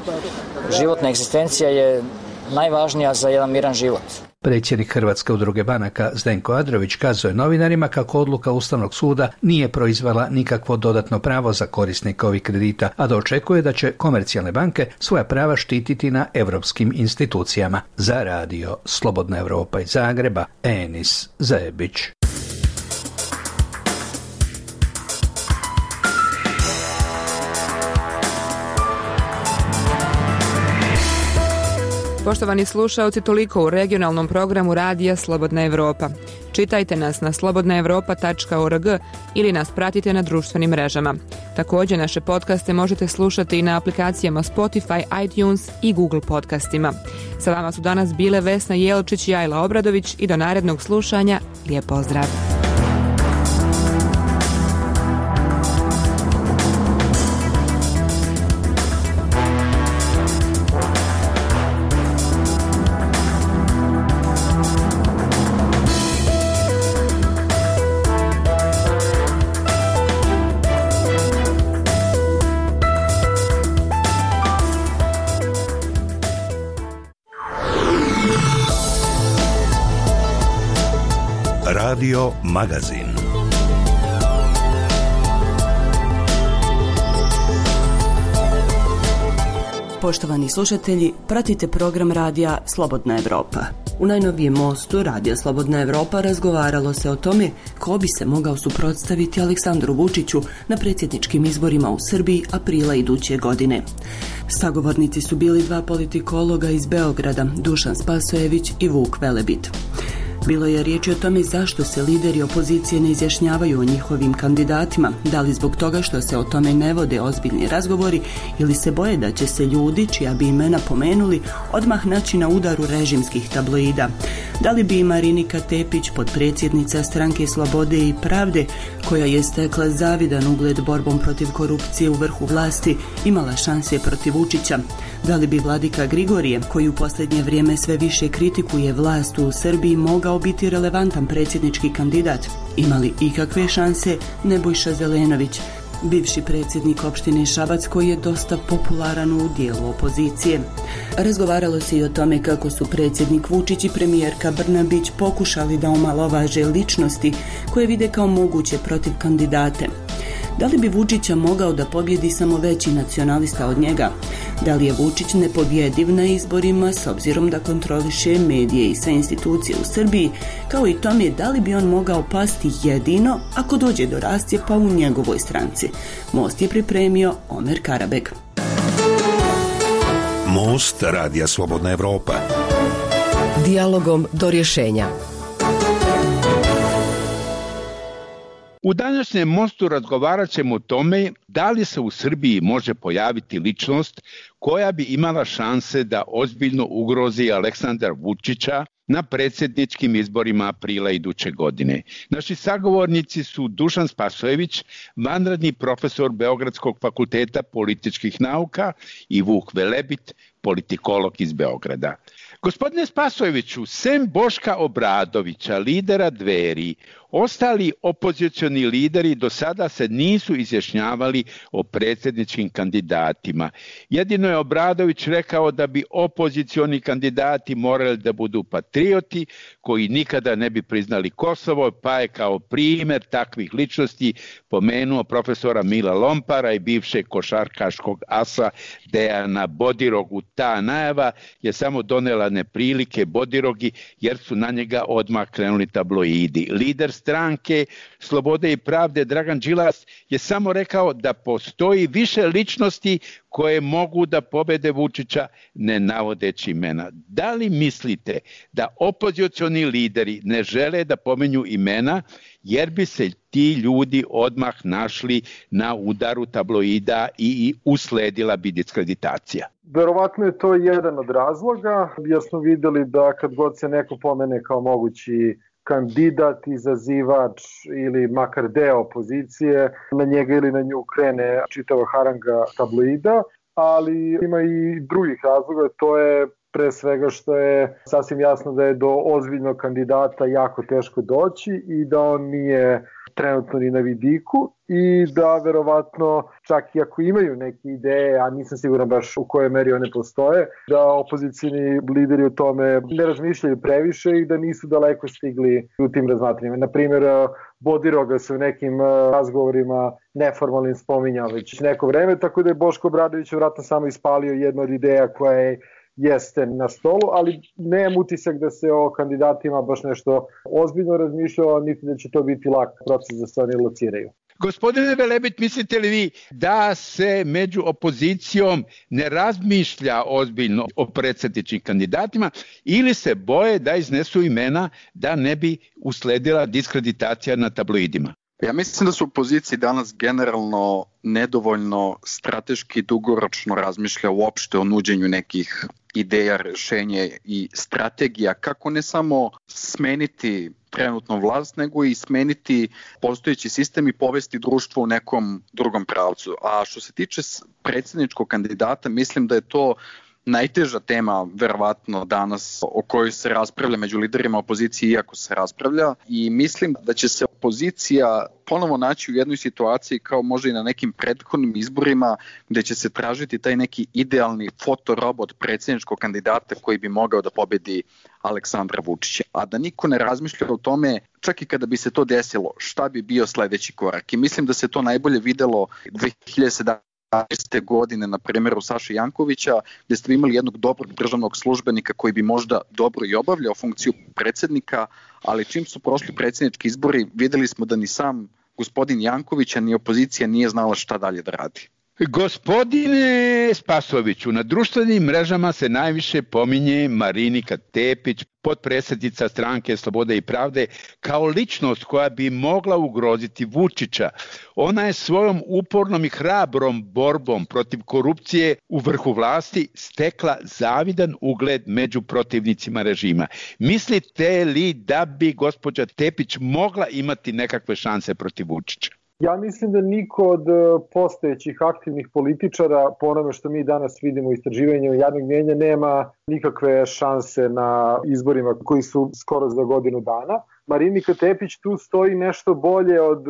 životna egzistencija je najvažnija za jedan miran život. Predsjednik Hrvatske udruge banaka Zdenko Adrović kazuje novinarima kako odluka Ustavnog suda nije proizvela nikakvo dodatno pravo za korisnika ovih kredita, a da očekuje da će komercijalne banke svoja prava štititi na europskim institucijama. Za Radio Slobodna Evropa iz Zagreba, Enis Zebić. Poštovani slušaoci, toliko u regionalnom programu Radija Slobodna Evropa. Čitajte nas na slobodnaevropa.org ili nas pratite na društvenim mrežama. Također naše podcaste možete slušati i na aplikacijama Spotify, iTunes i Google podcastima. Sa vama su danas bile Vesna Jelčić i Ajla Obradović i do narednog slušanja. Lijep pozdrav! Radio Magazin. Poštovani slušatelji, pratite program radija Slobodna Evropa. U najnovijem mostu Radija Slobodna Evropa razgovaralo se o tome ko bi se mogao suprotstaviti Aleksandru Vučiću na predsjedničkim izborima u Srbiji aprila iduće godine. Sagovornici su bili dva politikologa iz Beograda, Dušan Spasojević i Vuk Velebit. Bilo je riječi o tome zašto se lideri opozicije ne izjašnjavaju o njihovim kandidatima, da li zbog toga što se o tome ne vode ozbiljni razgovori ili se boje da će se ljudi, čija bi imena pomenuli, odmah naći na udaru režimskih tabloida. Da li bi Marinika Tepić, potpredsjednica Stranke Slobode i Pravde, koja je stekla zavidan ugled borbom protiv korupcije u vrhu vlasti, imala šanse protiv Vučića? Da li bi Vladika Grigorije, koji u posljednje vrijeme sve više kritikuje vlast u Srbiji, mogao biti relevantan predsjednički kandidat? Imali ikakve šanse Nebojša Zelenović, bivši predsjednik opštine Šabac, koji je dosta popularan u dijelu opozicije? Razgovaralo se i o tome kako su predsjednik Vučić i premijerka Brnabić pokušali da omalovaže ličnosti koje vide kao moguće protiv kandidate. Da li bi Vučića mogao da pobjedi samo veći nacionalista od njega? Da li je Vučić nepobjediv na izborima s obzirom da kontroliše medije i sve institucije u Srbiji, kao i tome da li bi on mogao pasti jedino ako dođe do rascjepa u njegovoj stranci? Most je pripremio Omer Karabeg. Most Radija Slobodna Evropa. Dijalogom do rješenja. U današnjem mostu razgovarat ćemo o tome da li se u Srbiji može pojaviti ličnost koja bi imala šanse da ozbiljno ugrozi Aleksandra Vučića na predsjedničkim izborima aprila iduće godine. Naši sagovornici su Dušan Spasojević, vanredni profesor Beogradskog fakulteta političkih nauka, i Vuk Velebit, politikolog iz Beograda. Gospodine Spasojeviću, sem Boška Obradovića, lidera Dveri, ostali opozicioni lideri do sada se nisu izjašnjavali o predsjedničkim kandidatima. Jedino je Obradović rekao da bi opozicioni kandidati morali da budu patrioti koji nikada ne bi priznali Kosovo, pa je kao primjer takvih ličnosti pomenuo profesora Mila Lompara i bivšeg košarkaškog asa Dejana Bodirogu. Ta najava je samo donela neprilike Bodirogi jer su na njega odmah krenuli tabloidi. Lider stranke Slobode i Pravde Dragan Đilas je samo rekao da postoji više ličnosti koje mogu da pobede Vučića, ne navodeći imena. Da li mislite da opozicioni lideri ne žele da pomenju imena jer bi se ti ljudi odmah našli na udaru tabloida i usledila bi diskreditacija? Verovatno je to jedan od razloga, jer smo vidjeli da kad god se neko pomene kao mogući kandidat, izazivač ili makar deo opozicije, na njega ili na nju krene čitava haranga tabloida, ali ima i drugih razloga. To je pre svega što je sasvim jasno da je do ozbiljnog kandidata jako teško doći i da on nije trenutno ni na vidiku i da verovatno čak i ako imaju neke ideje, a nisam siguran baš u kojoj meri one postoje, da opozicijni lideri o tome ne razmišljaju previše i da nisu daleko stigli u tim razmatranjima. Naprimjer, Bodiroga se u nekim razgovorima neformalnim spominjao već neko vreme, tako da je Boško Obradović vjerojatno samo ispalio jednu od ideja koja jeste na stolu, ali nemam utisak da se o kandidatima baš nešto ozbiljno razmišljao, niti da će to biti lak proces da se oni lociraju. Gospodine Velebit, mislite li vi da se među opozicijom ne razmišlja ozbiljno o predsjedničkim kandidatima ili se boje da iznesu imena da ne bi usledila diskreditacija na tabloidima? Ja mislim da su u opoziciji danas generalno nedovoljno strateški dugoročno razmišlja uopšte o nuđenju nekih ideja, rješenja i strategija kako ne samo smeniti trenutnu vlast, nego i smeniti postojeći sistem i povesti društvo u nekom drugom pravcu. A što se tiče predsjedničkog kandidata, mislim da je to najteža tema verovatno danas o kojoj se raspravlja među liderima opozicije, iako se raspravlja, i mislim da će se opozicija ponovo naći u jednoj situaciji kao možda i na nekim prethodnim izborima gde će se tražiti taj neki idealni fotorobot predsjedničkog kandidata koji bi mogao da pobedi Aleksandra Vučića. A da niko ne razmišlja o tome, čak i kada bi se to desilo, šta bi bio sledeći korak. I mislim da se to najbolje videlo 2017. godine na primjeru Saše Jankovića, gdje ste imali jednog dobrog državnog službenika koji bi možda dobro i obavljao funkciju predsjednika, ali čim su prošli predsjednički izbori, vidjeli smo da ni sam gospodin Janković, ni opozicija nije znala šta dalje da radi. Gospodine Spasoviću, na društvenim mrežama se najviše pominje Marinika Tepić, potpredsjednica Stranke Slobode i Pravde, kao ličnost koja bi mogla ugroziti Vučića. Ona je svojom upornom i hrabrom borbom protiv korupcije u vrhu vlasti stekla zavidan ugled među protivnicima režima. Mislite li da bi gospođa Tepić mogla imati nekakve šanse protiv Vučića? Ja mislim da niko od postojećih aktivnih političara, po onome što mi danas vidimo u istraživanju javnog mnijenja, nema nikakve šanse na izborima koji su skoro za godinu dana. Marinika Tepić tu stoji nešto bolje od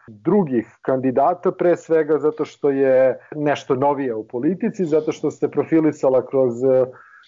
drugih kandidata, pre svega zato što je nešto novije u politici, zato što se profilisala kroz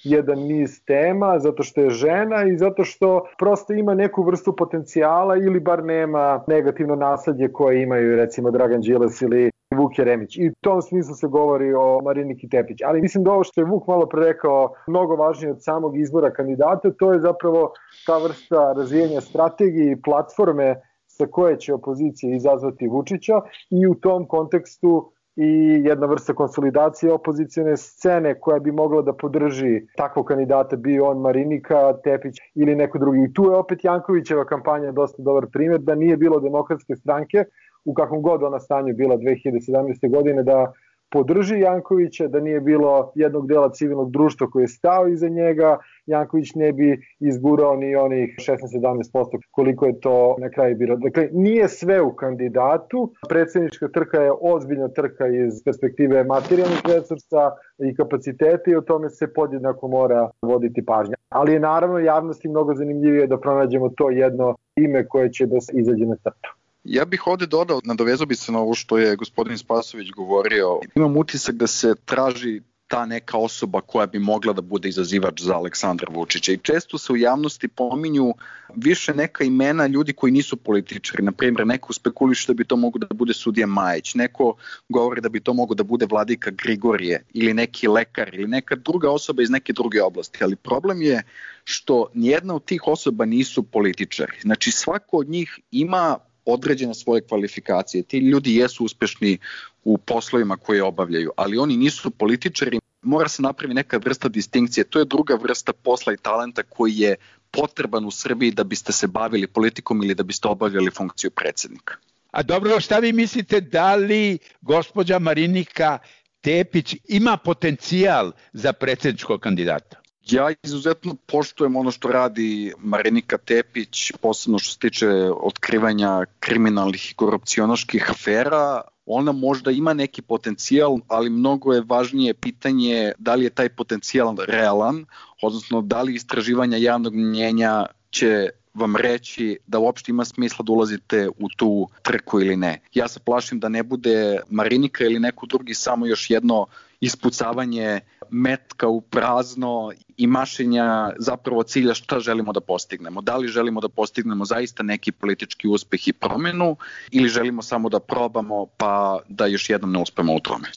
jedan niz tema, zato što je žena i zato što prosto ima neku vrstu potencijala ili bar nema negativno nasledje koje imaju recimo Dragan Đilas ili Vuk Jeremić. I u tom smislu se govori o Mariniki Tepić. Ali mislim da ovo što je Vuk malo pre rekao mnogo važnije od samog izbora kandidata, to je zapravo ta vrsta razvijenja strategije i platforme sa koje će opozicija izazvati Vučića i u tom kontekstu i jedna vrsta konsolidacije opozicijne scene koja bi mogla da podrži takvog kandidata, bio on Marinika Tepić ili neko drugi. I tu je opet Jankovićeva kampanja dosta dobar primjer da nije bilo Demokratske stranke, u kakvom god ona stanju bila 2017. godine, da podrži Jankovića, da nije bilo jednog dela civilnog društva koji je stao iza njega, Janković ne bi izgurao ni onih 16-17% koliko je to na kraju bilo. Dakle, nije sve u kandidatu, predsjednička trka je ozbiljna trka iz perspektive materijalnih resursa i kapaciteta i o tome se podjednako mora voditi pažnja. Ali je naravno javnosti mnogo zanimljivije da pronađemo to jedno ime koje će da se izađe na crtu. Ja bih ovdje dodao, nadovezao bi se na ovo što je gospodin Spasović govorio. Imam utisak da se traži ta neka osoba koja bi mogla da bude izazivač za Aleksandra Vučića. I često se u javnosti pominju više neka imena ljudi koji nisu političari. Naprimjer, neko spekuliše da bi to mogo da bude sudija Majić, neko govori da bi to mogo da bude vladika Grigorije ili neki lekar ili neka druga osoba iz neke druge oblasti. Ali problem je što nijedna od tih osoba nisu političari. Znači, svako od njih ima određene svoje kvalifikacije. Ti ljudi jesu uspešni u poslovima koje obavljaju, ali oni nisu političari. Mora se napravi neka vrsta distinkcije. To je druga vrsta posla i talenta koji je potreban u Srbiji da biste se bavili politikom ili da biste obavljali funkciju predsjednika. A dobro, šta vi mislite, da li gospođa Marinika Tepić ima potencijal za predsjedničkog kandidata? Ja izuzetno poštujem ono što radi Marinika Tepić, posebno što se tiče otkrivanja kriminalnih i korupcionaških afera. Ona možda ima neki potencijal, ali mnogo je važnije pitanje da li je taj potencijal realan, odnosno da li istraživanja javnog mnjenja će vam reći da uopšte ima smisla da ulazite u tu trku ili ne. Ja se plašim da ne bude Marinika ili neko drugi samo još jedno ispucavanje metka u prazno i mašenja zapravo cilja šta želimo da postignemo. Da li želimo da postignemo zaista neki politički uspeh i promjenu ili želimo samo da probamo pa da još jednom ne uspemo u tome.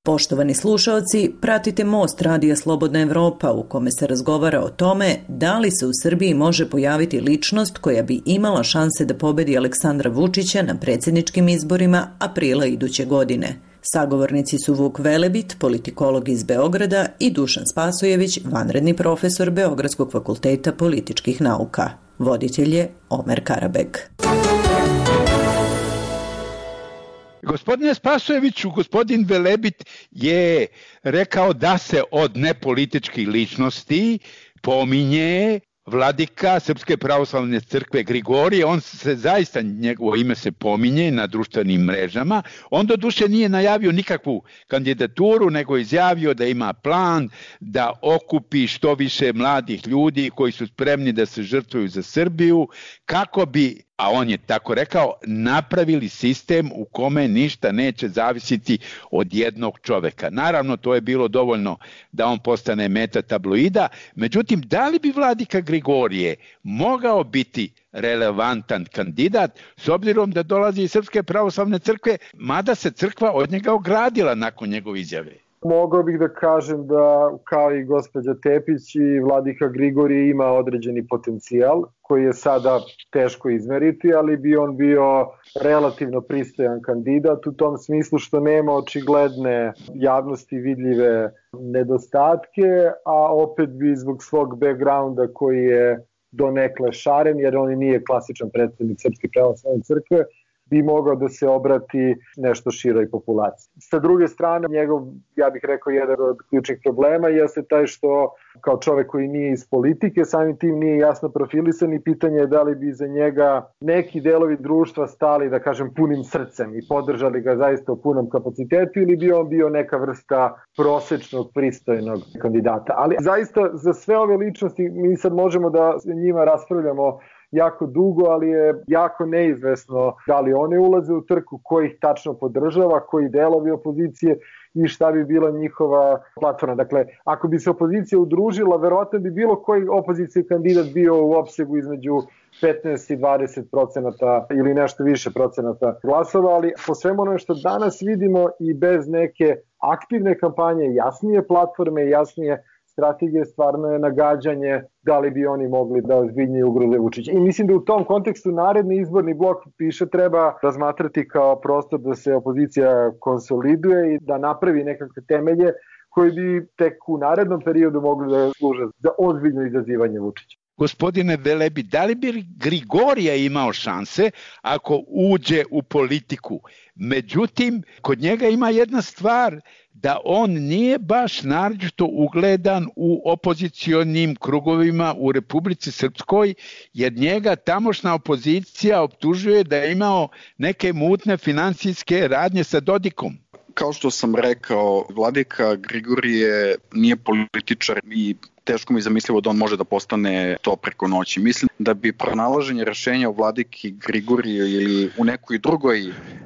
Poštovani slušaoci, pratite Most Radija Slobodna Evropa u kome se razgovara o tome da li se u Srbiji može pojaviti ličnost koja bi imala šanse da pobedi Aleksandra Vučića na predsjedničkim izborima aprila iduće godine. Sagovornici su Vuk Velebit, politikolog iz Beograda, i Dušan Spasojević, vanredni profesor Beogradskog fakulteta političkih nauka. Voditelj je Omer Karabek. Gospodine Spasojeviću, gospodin Velebit je rekao da se od nepolitičkih ličnosti pominje vladika Srpske pravoslavne crkve Grigorije. On se zaista, njegovo ime se pominje na društvenim mrežama. On doduše nije najavio nikakvu kandidaturu, nego izjavio da ima plan da okupi što više mladih ljudi koji su spremni da se žrtvuju za Srbiju, kako bi, a on je tako rekao, napravili sistem u kome ništa neće zavisiti od jednog čoveka. Naravno, to je bilo dovoljno da on postane meta tabloida. Međutim, da li bi vladika Grigorije mogao biti relevantan kandidat s obzirom da dolazi iz Srpske pravoslavne crkve, mada se crkva od njega ogradila nakon njegove izjave? Mogao bih da kažem da, kao i gospođa Tepić, i vladika Grigorije ima određeni potencijal koji je sada teško izmeriti, ali bi on bio relativno pristojan kandidat u tom smislu što nema očigledne javnosti vidljive nedostatke, a opet bi zbog svog backgrounda koji je donekle šaren, jer on nije klasičan predstavnik Srpske pravoslavne crkve, bi mogao da se obrati nešto široj populaciji. Sa druge strane, njegov, ja bih rekao, jedan od ključnih problema jeste taj što kao čovek koji nije iz politike, samim tim nije jasno profilisan i pitanje je da li bi za njega neki delovi društva stali, da kažem, punim srcem i podržali ga zaista u punom kapacitetu, ili bi on bio neka vrsta prosečnog, pristojnog kandidata. Ali zaista za sve ove ličnosti mi sad možemo da njima raspravljamo jako dugo, ali je jako neizvesno da li one ulaze u trku, ko ih tačno podržava, koji delovi opozicije i šta bi bila njihova platforma. Dakle, ako bi se opozicija udružila, verovatno bi bilo koji opozicijski kandidat bio u opsegu između 15 i 20% ili nešto više procenata glasova, ali po svemu ono što danas vidimo i bez neke aktivne kampanje, jasnije platforme, jasnije strategije, stvarno je nagađanje da li bi oni mogli da ozbiljnije ugroze Vučića. I mislim da u tom kontekstu naredni izborni blok više treba razmatrati kao prostor da se opozicija konsoliduje i da napravi nekakve temelje koji bi tek u narednom periodu mogli da služe za ozbiljno izazivanje Vučića. Gospodine Velebi, da li bi Grigorija imao šanse ako uđe u politiku? Međutim, kod njega ima jedna stvar, da on nije baš naročito ugledan u opozicionim krugovima u Republici Srpskoj, jer njega tamošnja opozicija optužuje da je imao neke mutne finansijske radnje sa Dodikom. Kao što sam rekao, vladika Grigorije nije političar i teško mi je zamislivo da on može da postane to preko noći. Mislim da bi pronalaženje rešenja u vladiki Grigorije ili u nekoj drugoj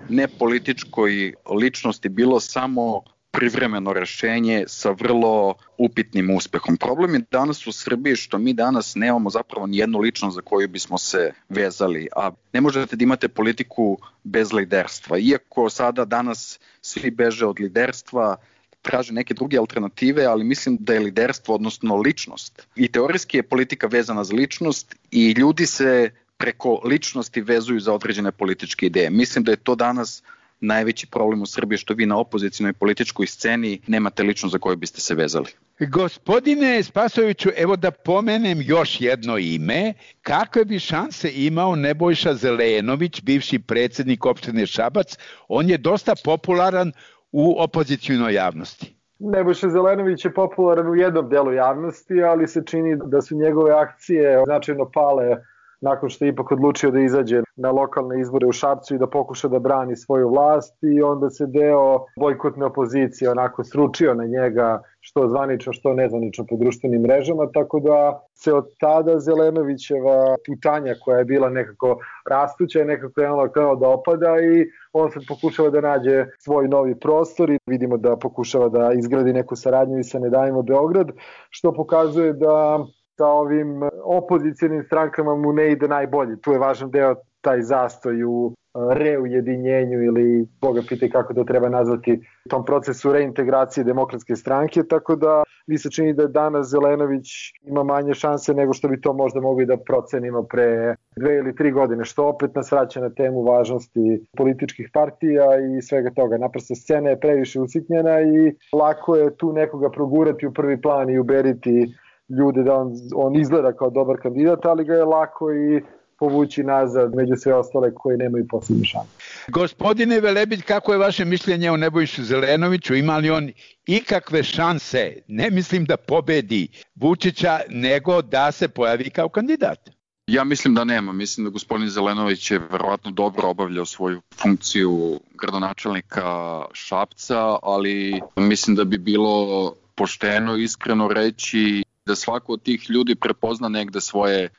nepolitičkoj ličnosti bilo samo privremeno rešenje sa vrlo upitnim uspehom. Problem je danas u Srbiji što mi danas nemamo zapravo ni jednu ličnost za koju bismo se vezali, a ne možete da imate politiku bez liderstva. Iako sada danas svi beže od liderstva, traže neke druge alternative, ali mislim da je liderstvo, odnosno ličnost. I teorijski je politika vezana za ličnost i ljudi se preko ličnosti vezuju za određene političke ideje. Mislim da je to danas najveći problem u Srbiji, što vi na opozicijnoj političkoj sceni nemate ličnost za koju biste se vezali. Gospodine Spasojeviću, evo da pomenem još jedno ime. Kakve bi šanse imao Nebojša Zelenović, bivši predsjednik opštine Šabac? On je dosta popularan u opozicijnoj javnosti. Nebojša Zelenović je popularan u jednom delu javnosti, ali se čini da su njegove akcije značajno pale nakon što je ipak odlučio da izađe na lokalne izbore u Šapcu i da pokuša da brani svoju vlast, i onda se deo bojkotne opozicije onako sručio na njega, što zvanično, što nezvanično po društvenim mrežama, tako da se od tada Zelenovićeva putanja koja je bila nekako rastuća i nekako je ono kao da opada, i on sad pokušava da nađe svoj novi prostor i vidimo da pokušava da izgradi neku saradnju i sa Ne davimo Beograd, što pokazuje da sa ovim opozicijalnim strankama mu ne ide najbolje. Tu je važan deo taj zastoj u reujedinjenju ili Boga pitaj kako to treba nazvati, tom procesu reintegracije Demokratske stranke, tako da mi se čini da danas Zelenović ima manje šanse nego što bi to možda mogli da procenimo pre 2 ili 3 godine, što opet nas vraća na temu važnosti političkih partija i svega toga. Naprosto scena je previše usitnjena i lako je tu nekoga progurati u prvi plan i uberiti ljude da on izgleda kao dobar kandidat, ali ga je lako i povući nazad među sve ostale koji nemaju posebne šanse. Gospodine Velebit, kako je vaše mišljenje o Nebojši Zelenoviću? Ima li on ikakve šanse, ne mislim da pobedi Vučića, nego da se pojavi kao kandidat? Ja mislim da nema. Mislim da gospodin Zelenović je verovatno dobro obavljao svoju funkciju gradonačelnika Šapca, ali mislim da bi bilo pošteno, iskreno reći da svako od tih ljudi prepozna negde svoje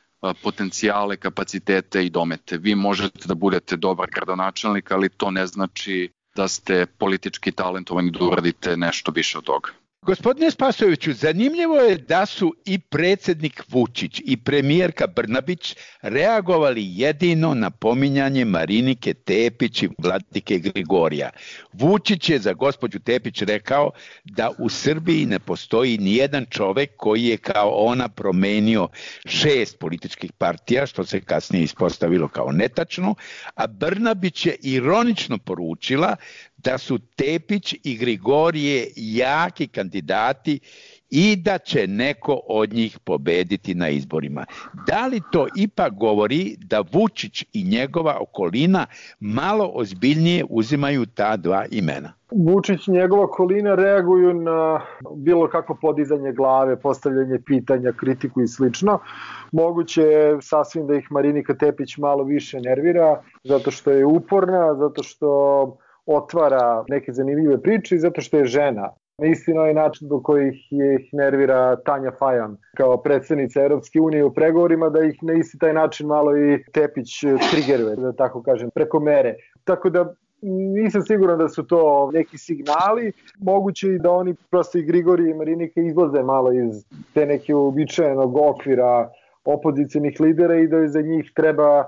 potencijale, kapacitete i domete. Vi možete da budete dobar gradonačelnik, ali to ne znači da ste politički talentovani da uradite nešto više od toga. Gospodine Spasojeviću, zanimljivo je da su i predsjednik Vučić i premijerka Brnabić reagovali jedino na pominjanje Marinike Tepić i Vladike Grigorija. Vučić je za gospođu Tepić rekao da u Srbiji ne postoji nijedan čovek koji je kao ona promenio 6 političkih partija, što se kasnije ispostavilo kao netačno, a Brnabić je ironično poručila da su Tepić i Grigorije jaki kandidati i da će neko od njih pobediti na izborima. Da li to ipak govori da Vučić i njegova okolina malo ozbiljnije uzimaju ta dva imena? Vučić i njegova okolina reaguju na bilo kako podizanje glave, postavljanje pitanja, kritiku i slično. Moguće je sasvim da ih Marinika Tepić malo više nervira, zato što je uporna, zato što otvara neke zanimljive priče i zato što je žena. Na isti novi način do kojih ih nervira Tanja Fajon kao predsjednica Europske unije u pregovorima, da ih na isti taj način malo i Tepić trigeruje, da tako kažem, preko mere. Tako da nisam siguran da su to neki signali. Moguće i da oni prosto i Grigorije i Marinike izlaze malo iz te neke uobičajenog okvira opozicionih lidera i da za njih treba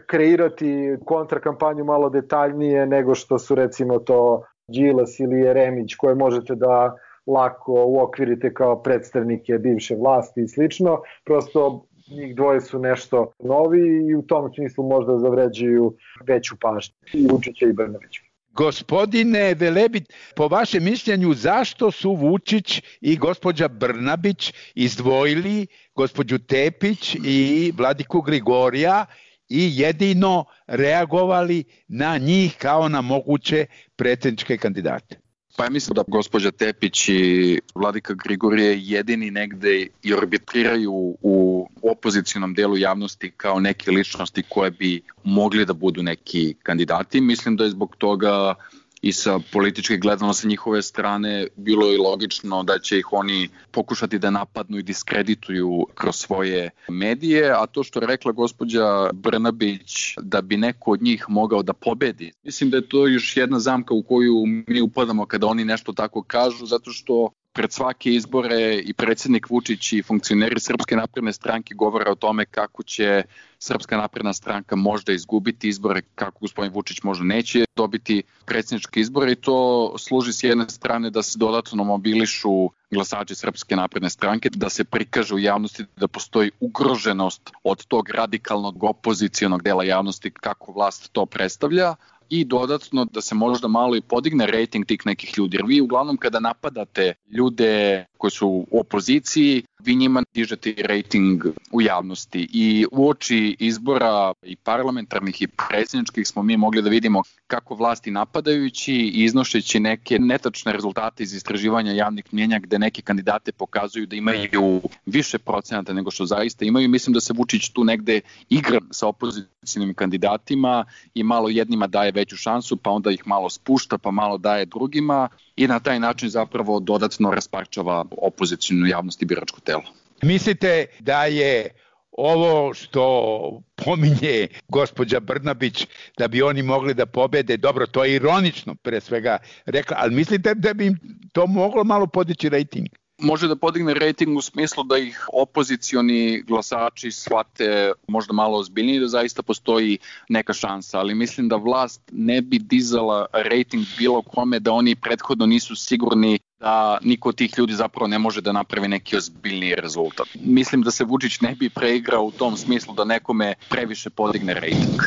kreirati kontrakampanju malo detaljnije nego što su recimo to Đilas ili Jeremić, koje možete da lako uokvirite kao predstavnike bivše vlasti i slično. Prosto njih dvoje su nešto novi i u tom smislu možda zavređuju veću pažnju i Vučića i Brnabića. Gospodine Velebit, po vašem mišljenju zašto su Vučić i gospođa Brnabić izdvojili gospođu Tepić i Vladiku Grigorija i jedino reagovali na njih kao na moguće predsjedničke kandidate? Pa ja mislim da gospođa Tepić i Vladika Grigorije jedini negde i arbitriraju u opozicionom delu javnosti kao neke ličnosti koje bi mogli da budu neki kandidati. Mislim da je zbog toga i sa političke gledano sa njihove strane bilo i logično da će ih oni pokušati da napadnu i diskredituju kroz svoje medije, a to što je rekla gospođa Brnabić da bi neko od njih mogao da pobedi, mislim da je to još jedna zamka u koju mi upadamo kada oni nešto tako kažu, zato što pred svake izbore i predsjednik Vučić i funkcioneri Srpske napredne stranke govore o tome kako će Srpska napredna stranka možda izgubiti izbore, kako gospodin Vučić možda neće dobiti predsjedničke izbore i to služi s jedne strane da se dodatno mobilišu glasači Srpske napredne stranke, da se prikaže u javnosti da postoji ugroženost od tog radikalnog opozicionog dela javnosti kako vlast to predstavlja, i dodatno da se možda malo i podigne rejting tih nekih ljudi. Jer vi uglavnom kada napadate ljude koji su u opoziciji, vi njima dižete rejting u javnosti. I u oči izbora i parlamentarnih i predsjedničkih smo mi mogli da vidimo kako vlasti napadajući i iznošeći neke netačne rezultate iz istraživanja javnih mnjenja gde neke kandidate pokazuju da imaju više procenata nego što zaista imaju. Mislim da se Vučić tu negde igra sa opozicijnim kandidatima i malo jednima daje veću šansu, pa onda ih malo spušta, pa malo daje drugima i na taj način zapravo dodatno rasparčava opozicijnu javnost i biračko telo. Mislite da je ovo što pominje gospođa Brnabić da bi oni mogli da pobede, dobro, to je ironično pre svega rekla, ali mislite da bi im to moglo malo podići rejting? može da podigne rejting u smislu da ih opozicioni glasači shvate možda malo ozbiljnije, da zaista postoji neka šansa, ali mislim da vlast ne bi dizala rejting bilo kome da oni prethodno nisu sigurni da niko od tih ljudi zapravo ne može da napravi neki ozbiljniji rezultat. Mislim da se Vučić ne bi preigrao u tom smislu da nekome previše podigne rejting.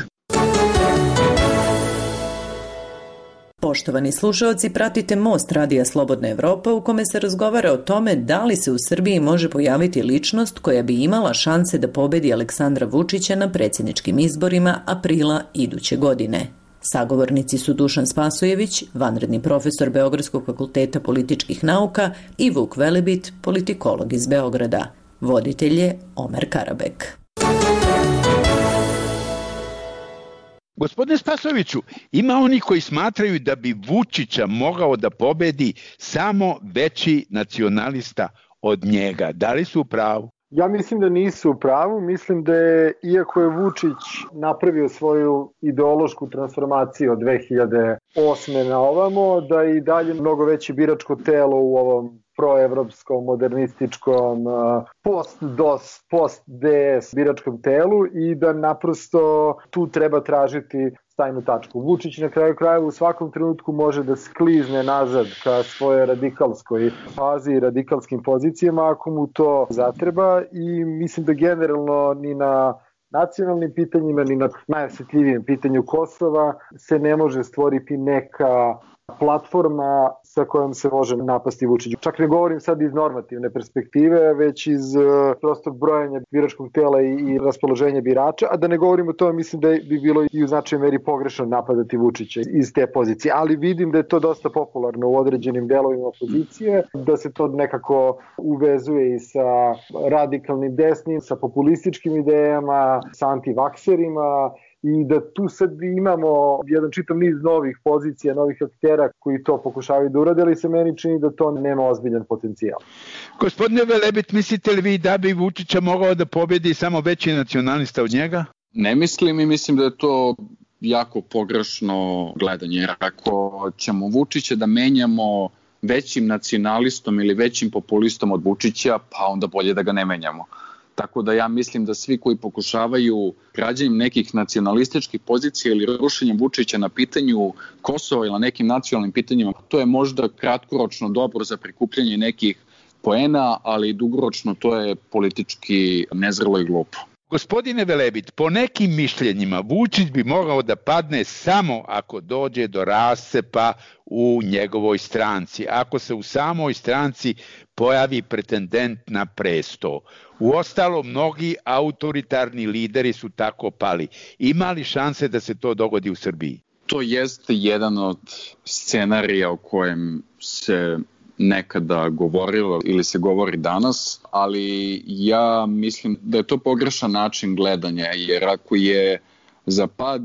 Poštovani slušalci, pratite Most Radija Slobodna Evropa u kome se razgovara o tome da li se u Srbiji može pojaviti ličnost koja bi imala šanse da pobedi Aleksandra Vučića na predsjedničkim izborima aprila iduće godine. Sagovornici su Dušan Spasojević, vanredni profesor Beogradskog fakulteta političkih nauka, i Vuk Velebit, politikolog iz Beograda. Voditelj je Omer Karabek. Gospodine Spasojeviću, ima oni koji smatraju da bi Vučića mogao da pobedi samo veći nacionalista od njega. Da li su u pravu? Ja mislim da nisu u pravu. Mislim da je, iako je Vučić napravio svoju ideološku transformaciju od 2008. na ovamo, da je i dalje mnogo veće biračko telo u ovom proevropskom, modernističkom, post-DOS, post-DS biračkom telu i da naprosto tu treba tražiti stajnu tačku. Vučić na kraju krajeva u svakom trenutku može da sklizne nazad ka svojoj radikalskoj fazi i radikalskim pozicijama ako mu to zatreba i mislim da generalno ni na nacionalnim pitanjima ni na najosjetljivijem pitanju Kosova se ne može stvoriti neka platforma sa kojom se može napasti Vučić. Čak ne govorim sad iz normativne perspektive, već iz prostog brojanja biračkog tela i raspoloženja birača, a da ne govorim o tome, mislim da bi bilo i u značajnoj meri pogrešno napadati Vučića iz te pozicije, ali vidim da je to dosta popularno u određenim delovima opozicije, da se to nekako uvezuje i sa radikalnim desnim, sa populističkim idejama, sa antivakserima, i da tu sad imamo jedan čitav niz novih pozicija, novih aktera koji to pokušavaju da urade, ali se meni čini da to nema ozbiljan potencijal. Gospodine Velebit, mislite li vi da bi Vučića mogao da pobedi samo veći nacionalista od njega? Ne mislim i mislim da je to jako pogrešno gledanje, jer ako ćemo Vučića da menjamo većim nacionalistom ili većim populistom od Vučića, pa onda bolje da ga ne menjamo. Tako da ja mislim da svi koji pokušavaju građanjem nekih nacionalističkih pozicija ili rušenjem Vučića na pitanju Kosova ili na nekim nacionalnim pitanjima, to je možda kratkoročno dobro za prikupljanje nekih poena, ali dugoročno to je politički nezrelo i glupo. Gospodine Velebit, po nekim mišljenjima Vučić bi mogao da padne samo ako dođe do rascepa u njegovoj stranci, ako se u samoj stranci pojavi pretendent na presto. Uostalom, mnogi autoritarni lideri su tako pali. Ima li šanse da se to dogodi u Srbiji? To jeste jedan od scenarija o kojem se nekada govorilo ili se govori danas, ali ja mislim da je to pogrešan način gledanja, jer ako je za pad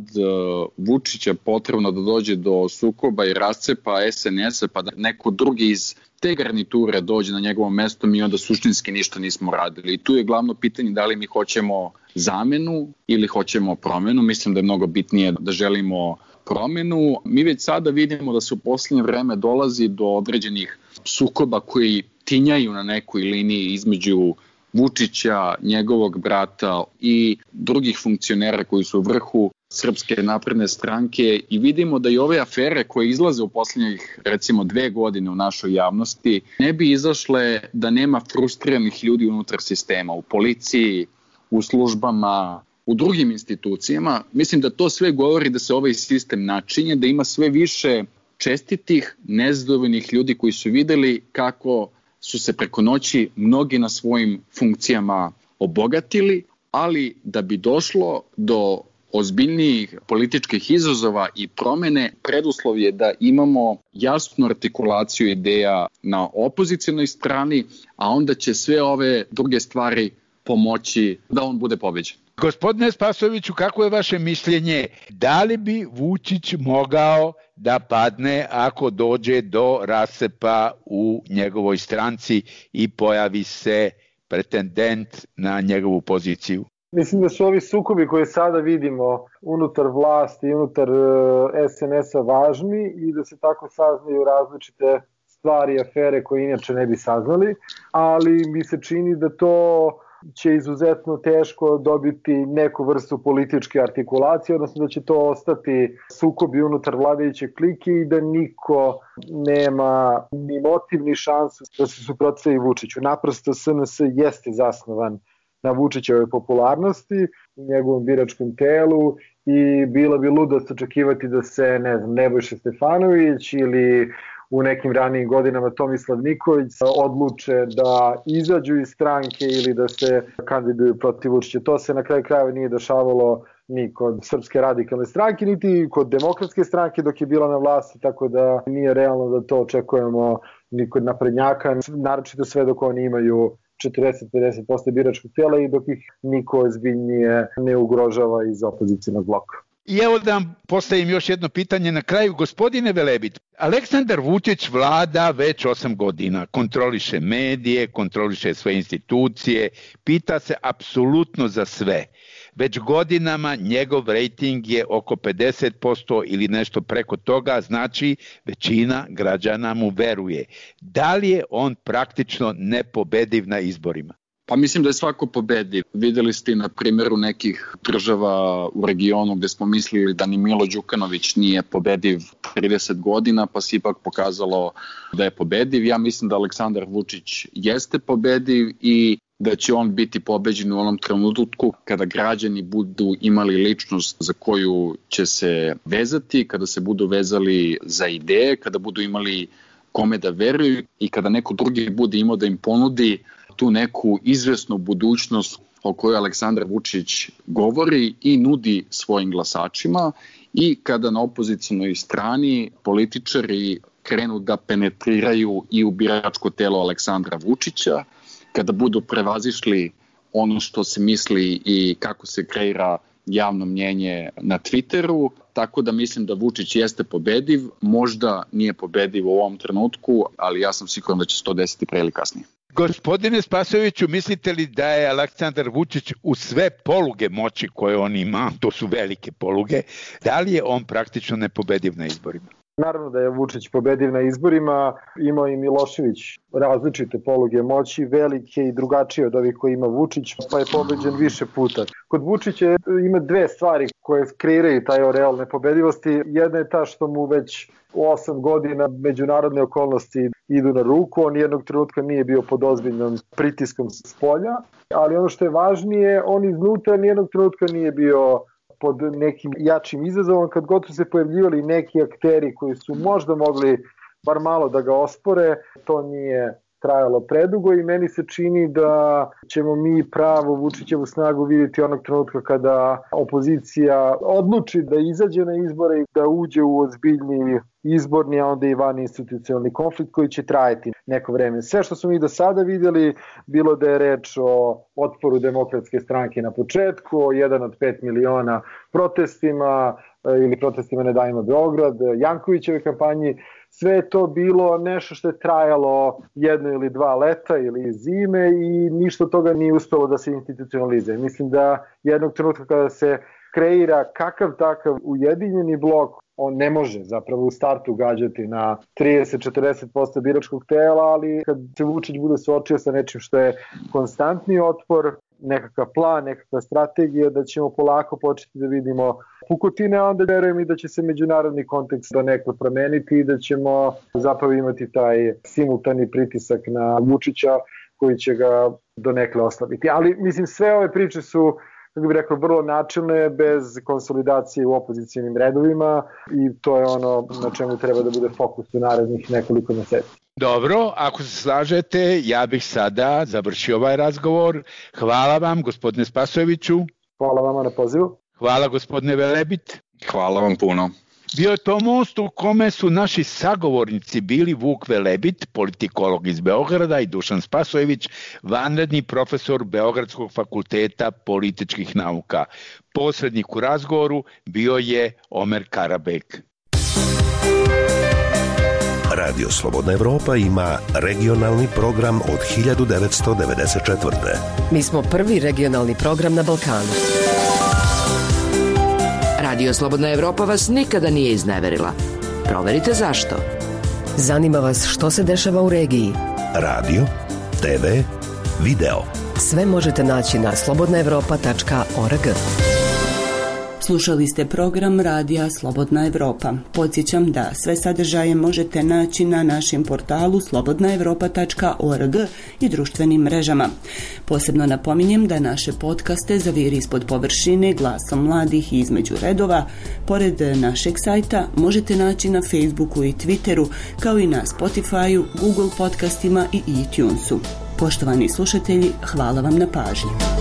Vučića potrebno da dođe do sukoba i rascepa SNS-a, pa da neko drugi iz te garniture dođe na njegovo mesto, mi onda suštinski ništa nismo radili. I tu je glavno pitanje da li mi hoćemo zamenu ili hoćemo promenu. Mislim da je mnogo bitnije da želimo promenu. Mi već sada vidimo da se u posljednje vreme dolazi do određenih sukoba koji tinjaju na nekoj liniji između Vučića, njegovog brata i drugih funkcionera koji su u vrhu Srpske napredne stranke i vidimo da i ove afere koje izlaze u posljednjih recimo 2 godine u našoj javnosti ne bi izašle da nema frustriranih ljudi unutar sistema, u policiji, u službama, u drugim institucijama. Mislim da to sve govori da se ovaj sistem načinje, da ima sve više čestitih, nezadovoljnih ljudi koji su videli kako su se preko noći mnogi na svojim funkcijama obogatili, ali da bi došlo do ozbiljnijih političkih izazova i promene, preduslov je da imamo jasnu artikulaciju ideja na opozicionoj strani, a onda će sve ove druge stvari pomoći da on bude pobeđen. Gospodine Spasojeviću, kako je vaše mišljenje? Da li bi Vučić mogao da padne ako dođe do rascepa u njegovoj stranci i pojavi se pretendent na njegovu poziciju? Mislim da su ovi sukobi koje sada vidimo unutar vlasti i unutar SNS-a važni i da se tako saznaju različite stvari, afere koje inače ne bi saznali, ali mi se čini da to će izuzetno teško dobiti neku vrstu političke artikulacije, odnosno da će to ostati sukobi unutar vladajuće klike i da niko nema ni motiv ni šansu da se suprotstavi Vučiću. Naprosto SNS jeste zasnovan na Vučićevoj popularnosti, njegovom biračkom telu i bilo bi ludost očekivati da se, ne znam, Nebojša Stefanović ili u nekim ranijim godinama Tomislav Nikolić odluče da izađu iz stranke ili da se kandiduju protiv Vučića. To se na kraju krajeva nije dešavalo ni kod Srpske radikalne stranke, niti kod Demokratske stranke dok je bila na vlasti, tako da nije realno da to očekujemo ni kod naprednjaka, naročito sve dok oni imaju 40-50% biračkog tela i dok ih niko ozbiljnije ne ugrožava iz opozicijnog bloka. I evo da vam postavim još jedno pitanje na kraju. Gospodine Velebit, Aleksandar Vučić vlada već 8 godina, kontroliše medije, kontroliše sve institucije, pita se apsolutno za sve. Već godinama njegov rejting je oko 50% ili nešto preko toga, znači većina građana mu veruje. Da li je on praktično nepobediv na izborima? Pa mislim da je svako pobediv. Videli ste na primjeru nekih država u regionu gdje smo mislili da ni Milo Đukanović nije pobediv 30 godina, pa se ipak pokazalo da je pobediv. Ja mislim da Aleksandar Vučić jeste pobediv i da će on biti pobeđen u onom trenutku kada građani budu imali ličnost za koju će se vezati, kada se budu vezali za ideje, kada budu imali kome da veruju i kada neko drugi bude imao da im ponudi tu neku izvesnu budućnost o kojoj Aleksandar Vučić govori i nudi svojim glasačima i kada na opozicionoj strani političari krenu da penetriraju i u biračko telo Aleksandra Vučića, kada budu prevazišli ono što se misli i kako se kreira javno mnjenje na Twitteru, tako da mislim da Vučić jeste pobediv, možda nije pobediv u ovom trenutku, ali ja sam siguran da će se to desiti pre ili kasnije. Gospodine Spasojeviću, mislite li da je Aleksandar Vučić u sve poluge moći koje on ima, to su velike poluge, da li je on praktično nepobediv na izborima? Naravno da je Vučić pobediv na izborima, imao i Milošević različite poluge moći, velike i drugačije od ovih koje ima Vučić, pa je pobeđen više puta. Kod Vučića ima dve stvari koje kreiraju taj oreal nepobedivosti. Jedna je ta što mu već 8 godina međunarodne okolnosti idu na ruku, on jednog trenutka nije bio pod ozbiljnom pritiskom s polja, ali ono što je važnije, on iznutra nijednog trenutka nije bio pod nekim jačim izazovom, kad god su se pojavljivali neki akteri koji su možda mogli bar malo da ga ospore, to nije trajalo predugo i meni se čini da ćemo mi pravo Vučićevu snagu vidjeti onog trenutka kada opozicija odluči da izađe na izbore i da uđe u ozbiljni izborni, a onda i van institucionalni konflikt koji će trajati neko vreme. Sve što smo mi do sada vidjeli, bilo da je reč o otporu Demokratske stranke na početku, o 1 od 5 miliona protestima ili protestima Ne davimo Beograd, Jankovićeve kampanji, sve je to bilo nešto što je trajalo 1 ili 2 leta ili zime i ništa toga nije uspelo da se institucionalizuje. Mislim da jednog trenutka kada se kreira kakav takav ujedinjeni blok, on ne može zapravo u startu gađati na 30-40% biračkog tela, ali kad se Vučić bude suočio sa nečim što je konstantni otpor, nekakav plan, nekakva strategija, da ćemo polako početi da vidimo pukotine, a onda verujem i da će se međunarodni kontekst donekle promeniti i da ćemo zapravo imati taj simultani pritisak na Vučića koji će ga donekle oslabiti. Ali mislim sve ove priče su, kako bih rekao, vrlo načelne, bez konsolidacije u opozicijnim redovima i to je ono na čemu treba da bude fokus u narednih nekoliko meseci. Dobro, ako se slažete, ja bih sada završio ovaj razgovor. Hvala vam, gospodine Spasojeviću. Hvala vama na pozivu. Hvala, gospodine Velebit. Hvala vam puno. Bio je to most u kome su naši sagovornici bili Vuk Velebit, politikolog iz Beograda, i Dušan Spasojević, vanredni profesor Beogradskog fakulteta političkih nauka. Posrednik u razgovoru bio je Omer Karabek. Radio Slobodna Evropa ima regionalni program od 1994. Mi smo prvi regionalni program na Balkanu. Radio Slobodna Evropa vas nikada nije izneverila. Proverite zašto. Zanima vas što se dešava u regiji? Radio, TV, video. Sve možete naći na slobodnaevropa.org. Slušali ste program Radija Slobodna Evropa. Podsjećam da sve sadržaje možete naći na našem portalu slobodnaevropa.org i društvenim mrežama. Posebno napominjem da naše podcaste Za vir ispod površine, Glasom mladih i Između redova, pored našeg sajta, možete naći na Facebooku i Twitteru, kao i na Spotifyu, Google podcastima i iTunesu. Poštovani slušatelji, hvala vam na pažnji.